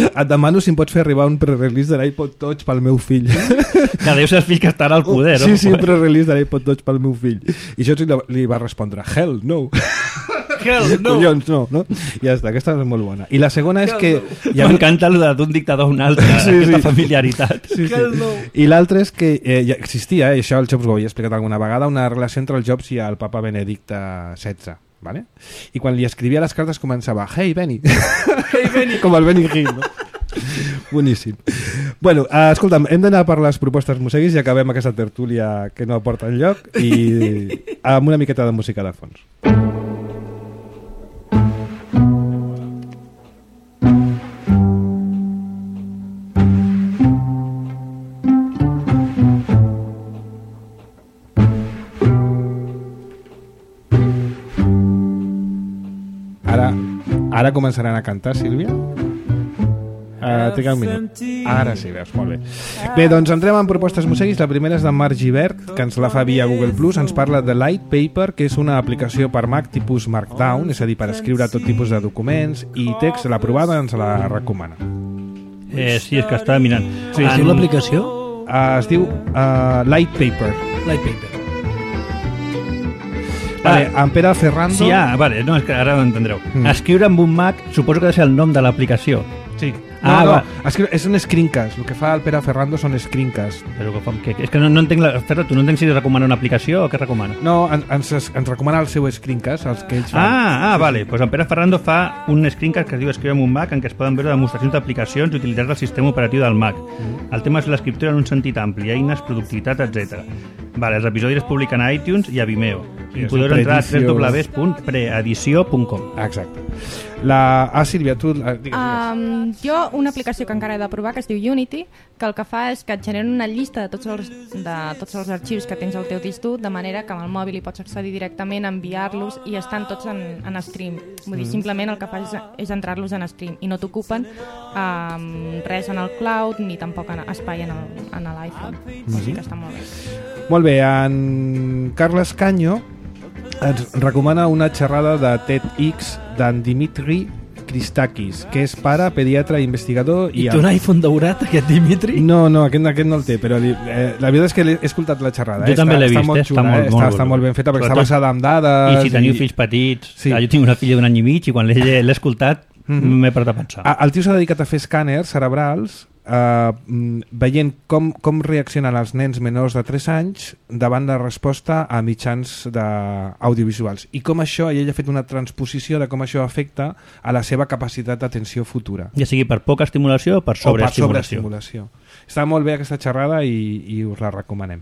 et demano si em pots fer arribar un pre-release de l'iPod Touch pel meu fill.
Que deu ser el fill que estarà al poder, no?
Sí, sí, un pre-release de l'iPod Touch pel meu fill. I això li, li va respondre, hell no.
Hell no.
Collons, no, no? Ja està, aquesta és molt bona. I la segona és que...
M'encanta el d'un dictador a un altre,
Sí,
aquesta
sí.
familiaritat.
Sí, sí. I l'altre és que eh, ja existia, eh, això el Jobs ho havia explicat alguna vegada, una relació entre el Jobs i el papa Benedicte setze. Vale? I quan li escrivia les cartes començava Hey Benny, hey Benny, com el Benny Hill, no? Boníssim. Bueno, eh, escolta'm, hem d'anar per les propostes museguis i acabem aquesta tertúlia que no aporta enlloc i amb una miqueta de música de fons. Ara, ara començaran a cantar, Sílvia? Uh, Tinc un minut. Ara sí, veus, molt bé. Bé, doncs entrem en propostes museguis. La primera és de Marc Givert, que ens la fa via Google Plus. Ens parla de Light Paper, que és una aplicació per Mac tipus Markdown, és a dir, per escriure tot tipus de documents i text. La provada ens la recomana.
Eh, sí, és que estava mirant.
Sí, es diu l'aplicació?
Uh, es diu uh, Light Paper.
Light Paper.
Vale, en Pere Ferrando...
Sí, ah, vale, no, és que ara ho entendreu.
Mm.
Escriure amb un Mac, suposo que ha de ser el nom de l'aplicació.
Sí.
Ah,
no,
va.
no, escri- és un screencast. El que fa el Pere Ferrando són screencasts.
Però que, fa- que, és que no, no entenc... La, Ferra, tu no entenc si recomana una aplicació o què recomana?
No, en- ens, ens recomana el seu screencast, els que ells fan.
Ah, ah, vale. Pues en Pere Ferrando fa un screencast que es diu Escriure amb un Mac, en què es poden veure demostracions d'aplicacions i utilitats del sistema operatiu del Mac. Mm. El tema és l'escriptura en un sentit ampli, eines, productivitat, etcètera. Vale, els episodis es publiquen a iTunes i a Vimeo.
Sí,
I
és
podeu
un
entrar a
preedició.
w w w punt preedició punt com.
Exacte. La... Ah, Sílvia, tu... ah, Digues, digues.
Um, jo, una aplicació que encara he de provar, que es diu Unity, que el que fa és que et genera una llista de tots els, de tots els arxius que tens al teu disc dur, de manera que amb el mòbil hi pots accedir directament, enviar-los i estan tots en, en stream. Vull dir, simplement el que fas és, és entrar-los en stream i no t'ocupen um, res en el cloud ni tampoc en espai en el- en l'iPhone. O sigui que està molt bé.
Molt bé, en Carles Canyo ens recomana una xerrada de TEDx d'en Dimitri Christakis, que és pare, pediatre, investigador
I
i...
té un iPhone daurat, aquest Dimitri?
No, no, aquest, aquest no el té, però li, eh, la veritat és que l'he- he escoltat la xerrada.
Jo
eh?
també
està,
l'he
està
vist,
molt
eh? Està
xula,
molt-
eh?
molt
està, està
bé.
molt ben feta, perquè està
Sobretot-
basada en dades...
I si teniu fills petits,
Sí.
sí. Jo tinc una filla d'un any i mig i quan l'he l'he escoltat
Mhm.
m'he parat a pensar.
Ah, el tio s'ha dedicat a fer escàners cerebrals eh, mm, veient com, com reaccionen els nens menors de tres anys davant de resposta a mitjans de audiovisuals i com això, i ell ha fet una transposició de com això afecta a la seva capacitat d'atenció futura
Ja sigui per poca estimulació o per
o per
sobreestimulació.
sobreestimulació. Està molt bé aquesta xerrada i, i us la recomanem.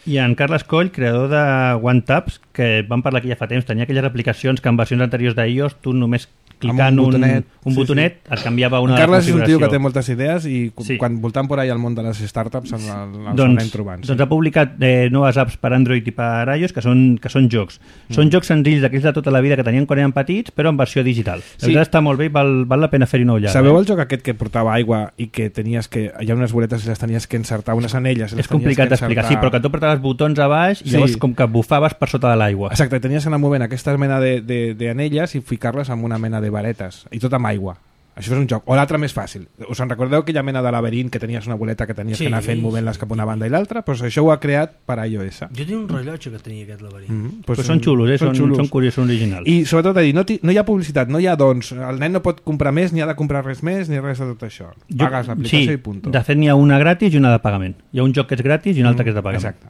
I en Carles Coll, creador de OneTabs, que vam parlar aquí ja fa temps, tenia aquelles aplicacions que en versions anteriors d'iOS tu només clicant
un
un,
botonet,
un
sí,
botonet
sí.
et canviava una
Carles és un tio
configuració.
que té moltes idees i cu-
Sí.
quan voltant por ahí al món de les startups ens, ens
doncs,
anem trobant.
doncs ha publicat eh, noves apps per Android i per iOS que són, que són jocs. Mm. Són jocs senzills d'aquells de tota la vida que tenien quan eren petits, però en versió digital. La
Sí.
veritat està molt bé i val, val la pena fer-hi una ullada.
Sabeu
eh?
el joc aquest que portava aigua i que tenies que... Hi ha unes boletes i les tenies que encertar, unes anelles. i les
És complicat
tenies que
d'explicar, sí,
encertar.
però que tu apretaves botons a baix i
Sí.
llavors com que bufaves per sota de l'aigua.
Exacte, tenies que anar movent aquesta mena de, de, de anelles i ficar-les en una mena de varetes, i tot amb aigua. Això és un joc. O l'altre més fàcil. Us en recordeu aquella mena de laberint que tenies una boleta que tenies
Sí.
que anar fent movent-les cap a una banda i l'altra? Doncs això ho ha creat per iOS.
Jo tinc un rellotge que tenia aquest laberint.
Mm -hmm.
Pues són xulos, eh? són, són, són curiosos, són originals.
I sobretot a dir, no, ti- no hi ha publicitat, no hi ha doncs, el nen no pot comprar més, ni ha de comprar res més, ni res de tot això. Pagues l'aplicació
sí,
i punt.
de fet n'hi ha una gratis i una de pagament. Hi ha un joc que és gratis i un altre que és de pagament.
Exacte.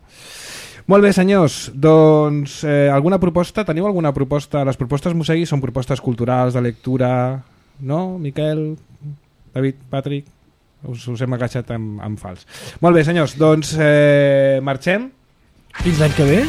Molt bé, senyors, doncs eh, alguna proposta? Teniu alguna proposta? Les propostes Mosegui són propostes culturals, de lectura, no, Miquel, David, Patrick? Us, us hem agafat amb, amb fals. Molt bé, senyors, doncs eh, marxem.
Fins l'any que ve?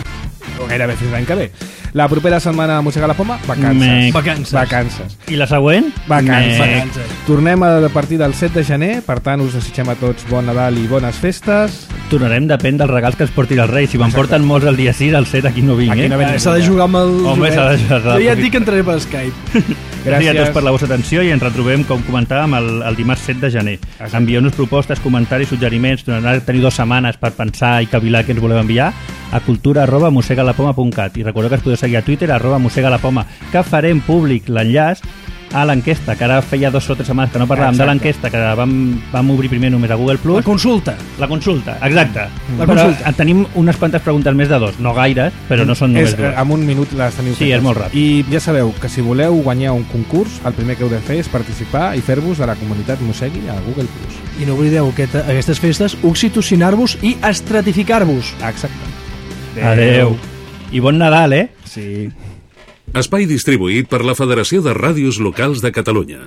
O gairebé fins l'any que ve. La propera setmana a Mossega la Poma, vacances.
Me-
Vacances.
Vacances.
I la següent?
Vacances.
Me-
Vacances.
Tornem a partir del set de gener, per tant us desitgem a tots bon Nadal i bones festes.
Tornarem, depèn dels regals que ens portin els Reis. Si me'n
Exacte.
porten molts el dia sis, el set aquí no vinc,
Aquí
eh?
no ve
Eh, S'ha de jugar amb el...
Home, s'ha de jugar.
Jo ja et dic que entraré per Skype.
Gràcies a
Gràcies.
tots per la vostra atenció i ens retrobem, com comentàvem, el, el dimarts set de gener.
Exacte.
Envieu-nos propostes, comentaris, suggeriments. Tornarà a tenir dues setmanes per pensar i cavilar què ens voleu enviar a cultura arroba mossegalapoma punt cat. I recordeu que es podeu seguir a Twitter arroba mossegalapoma, que farem públic l'enllaç Ah, l'enquesta, que ara feia dos o tres setmanes que no parlàvem
Exacte.
de l'enquesta, que vam, vam obrir primer només a Google Plus.
La consulta.
La consulta, exacte.
La
Però
consulta.
tenim unes quantes preguntes més de dos, no gaires, però no són només
és,
dues.
amb un minut les teniu
Sí,
fetes.
és molt ràpid.
I ja sabeu que si voleu guanyar un concurs, el primer que heu de fer és participar i fer-vos de la comunitat Mossegui a Google Plus.
I no oblideu aquest, aquestes festes oxitocinar-vos i estratificar-vos.
Exacte.
Adeu. I bon Nadal, eh?
Sí.
Espai distribuït per la Federació de Ràdios Locals de Catalunya.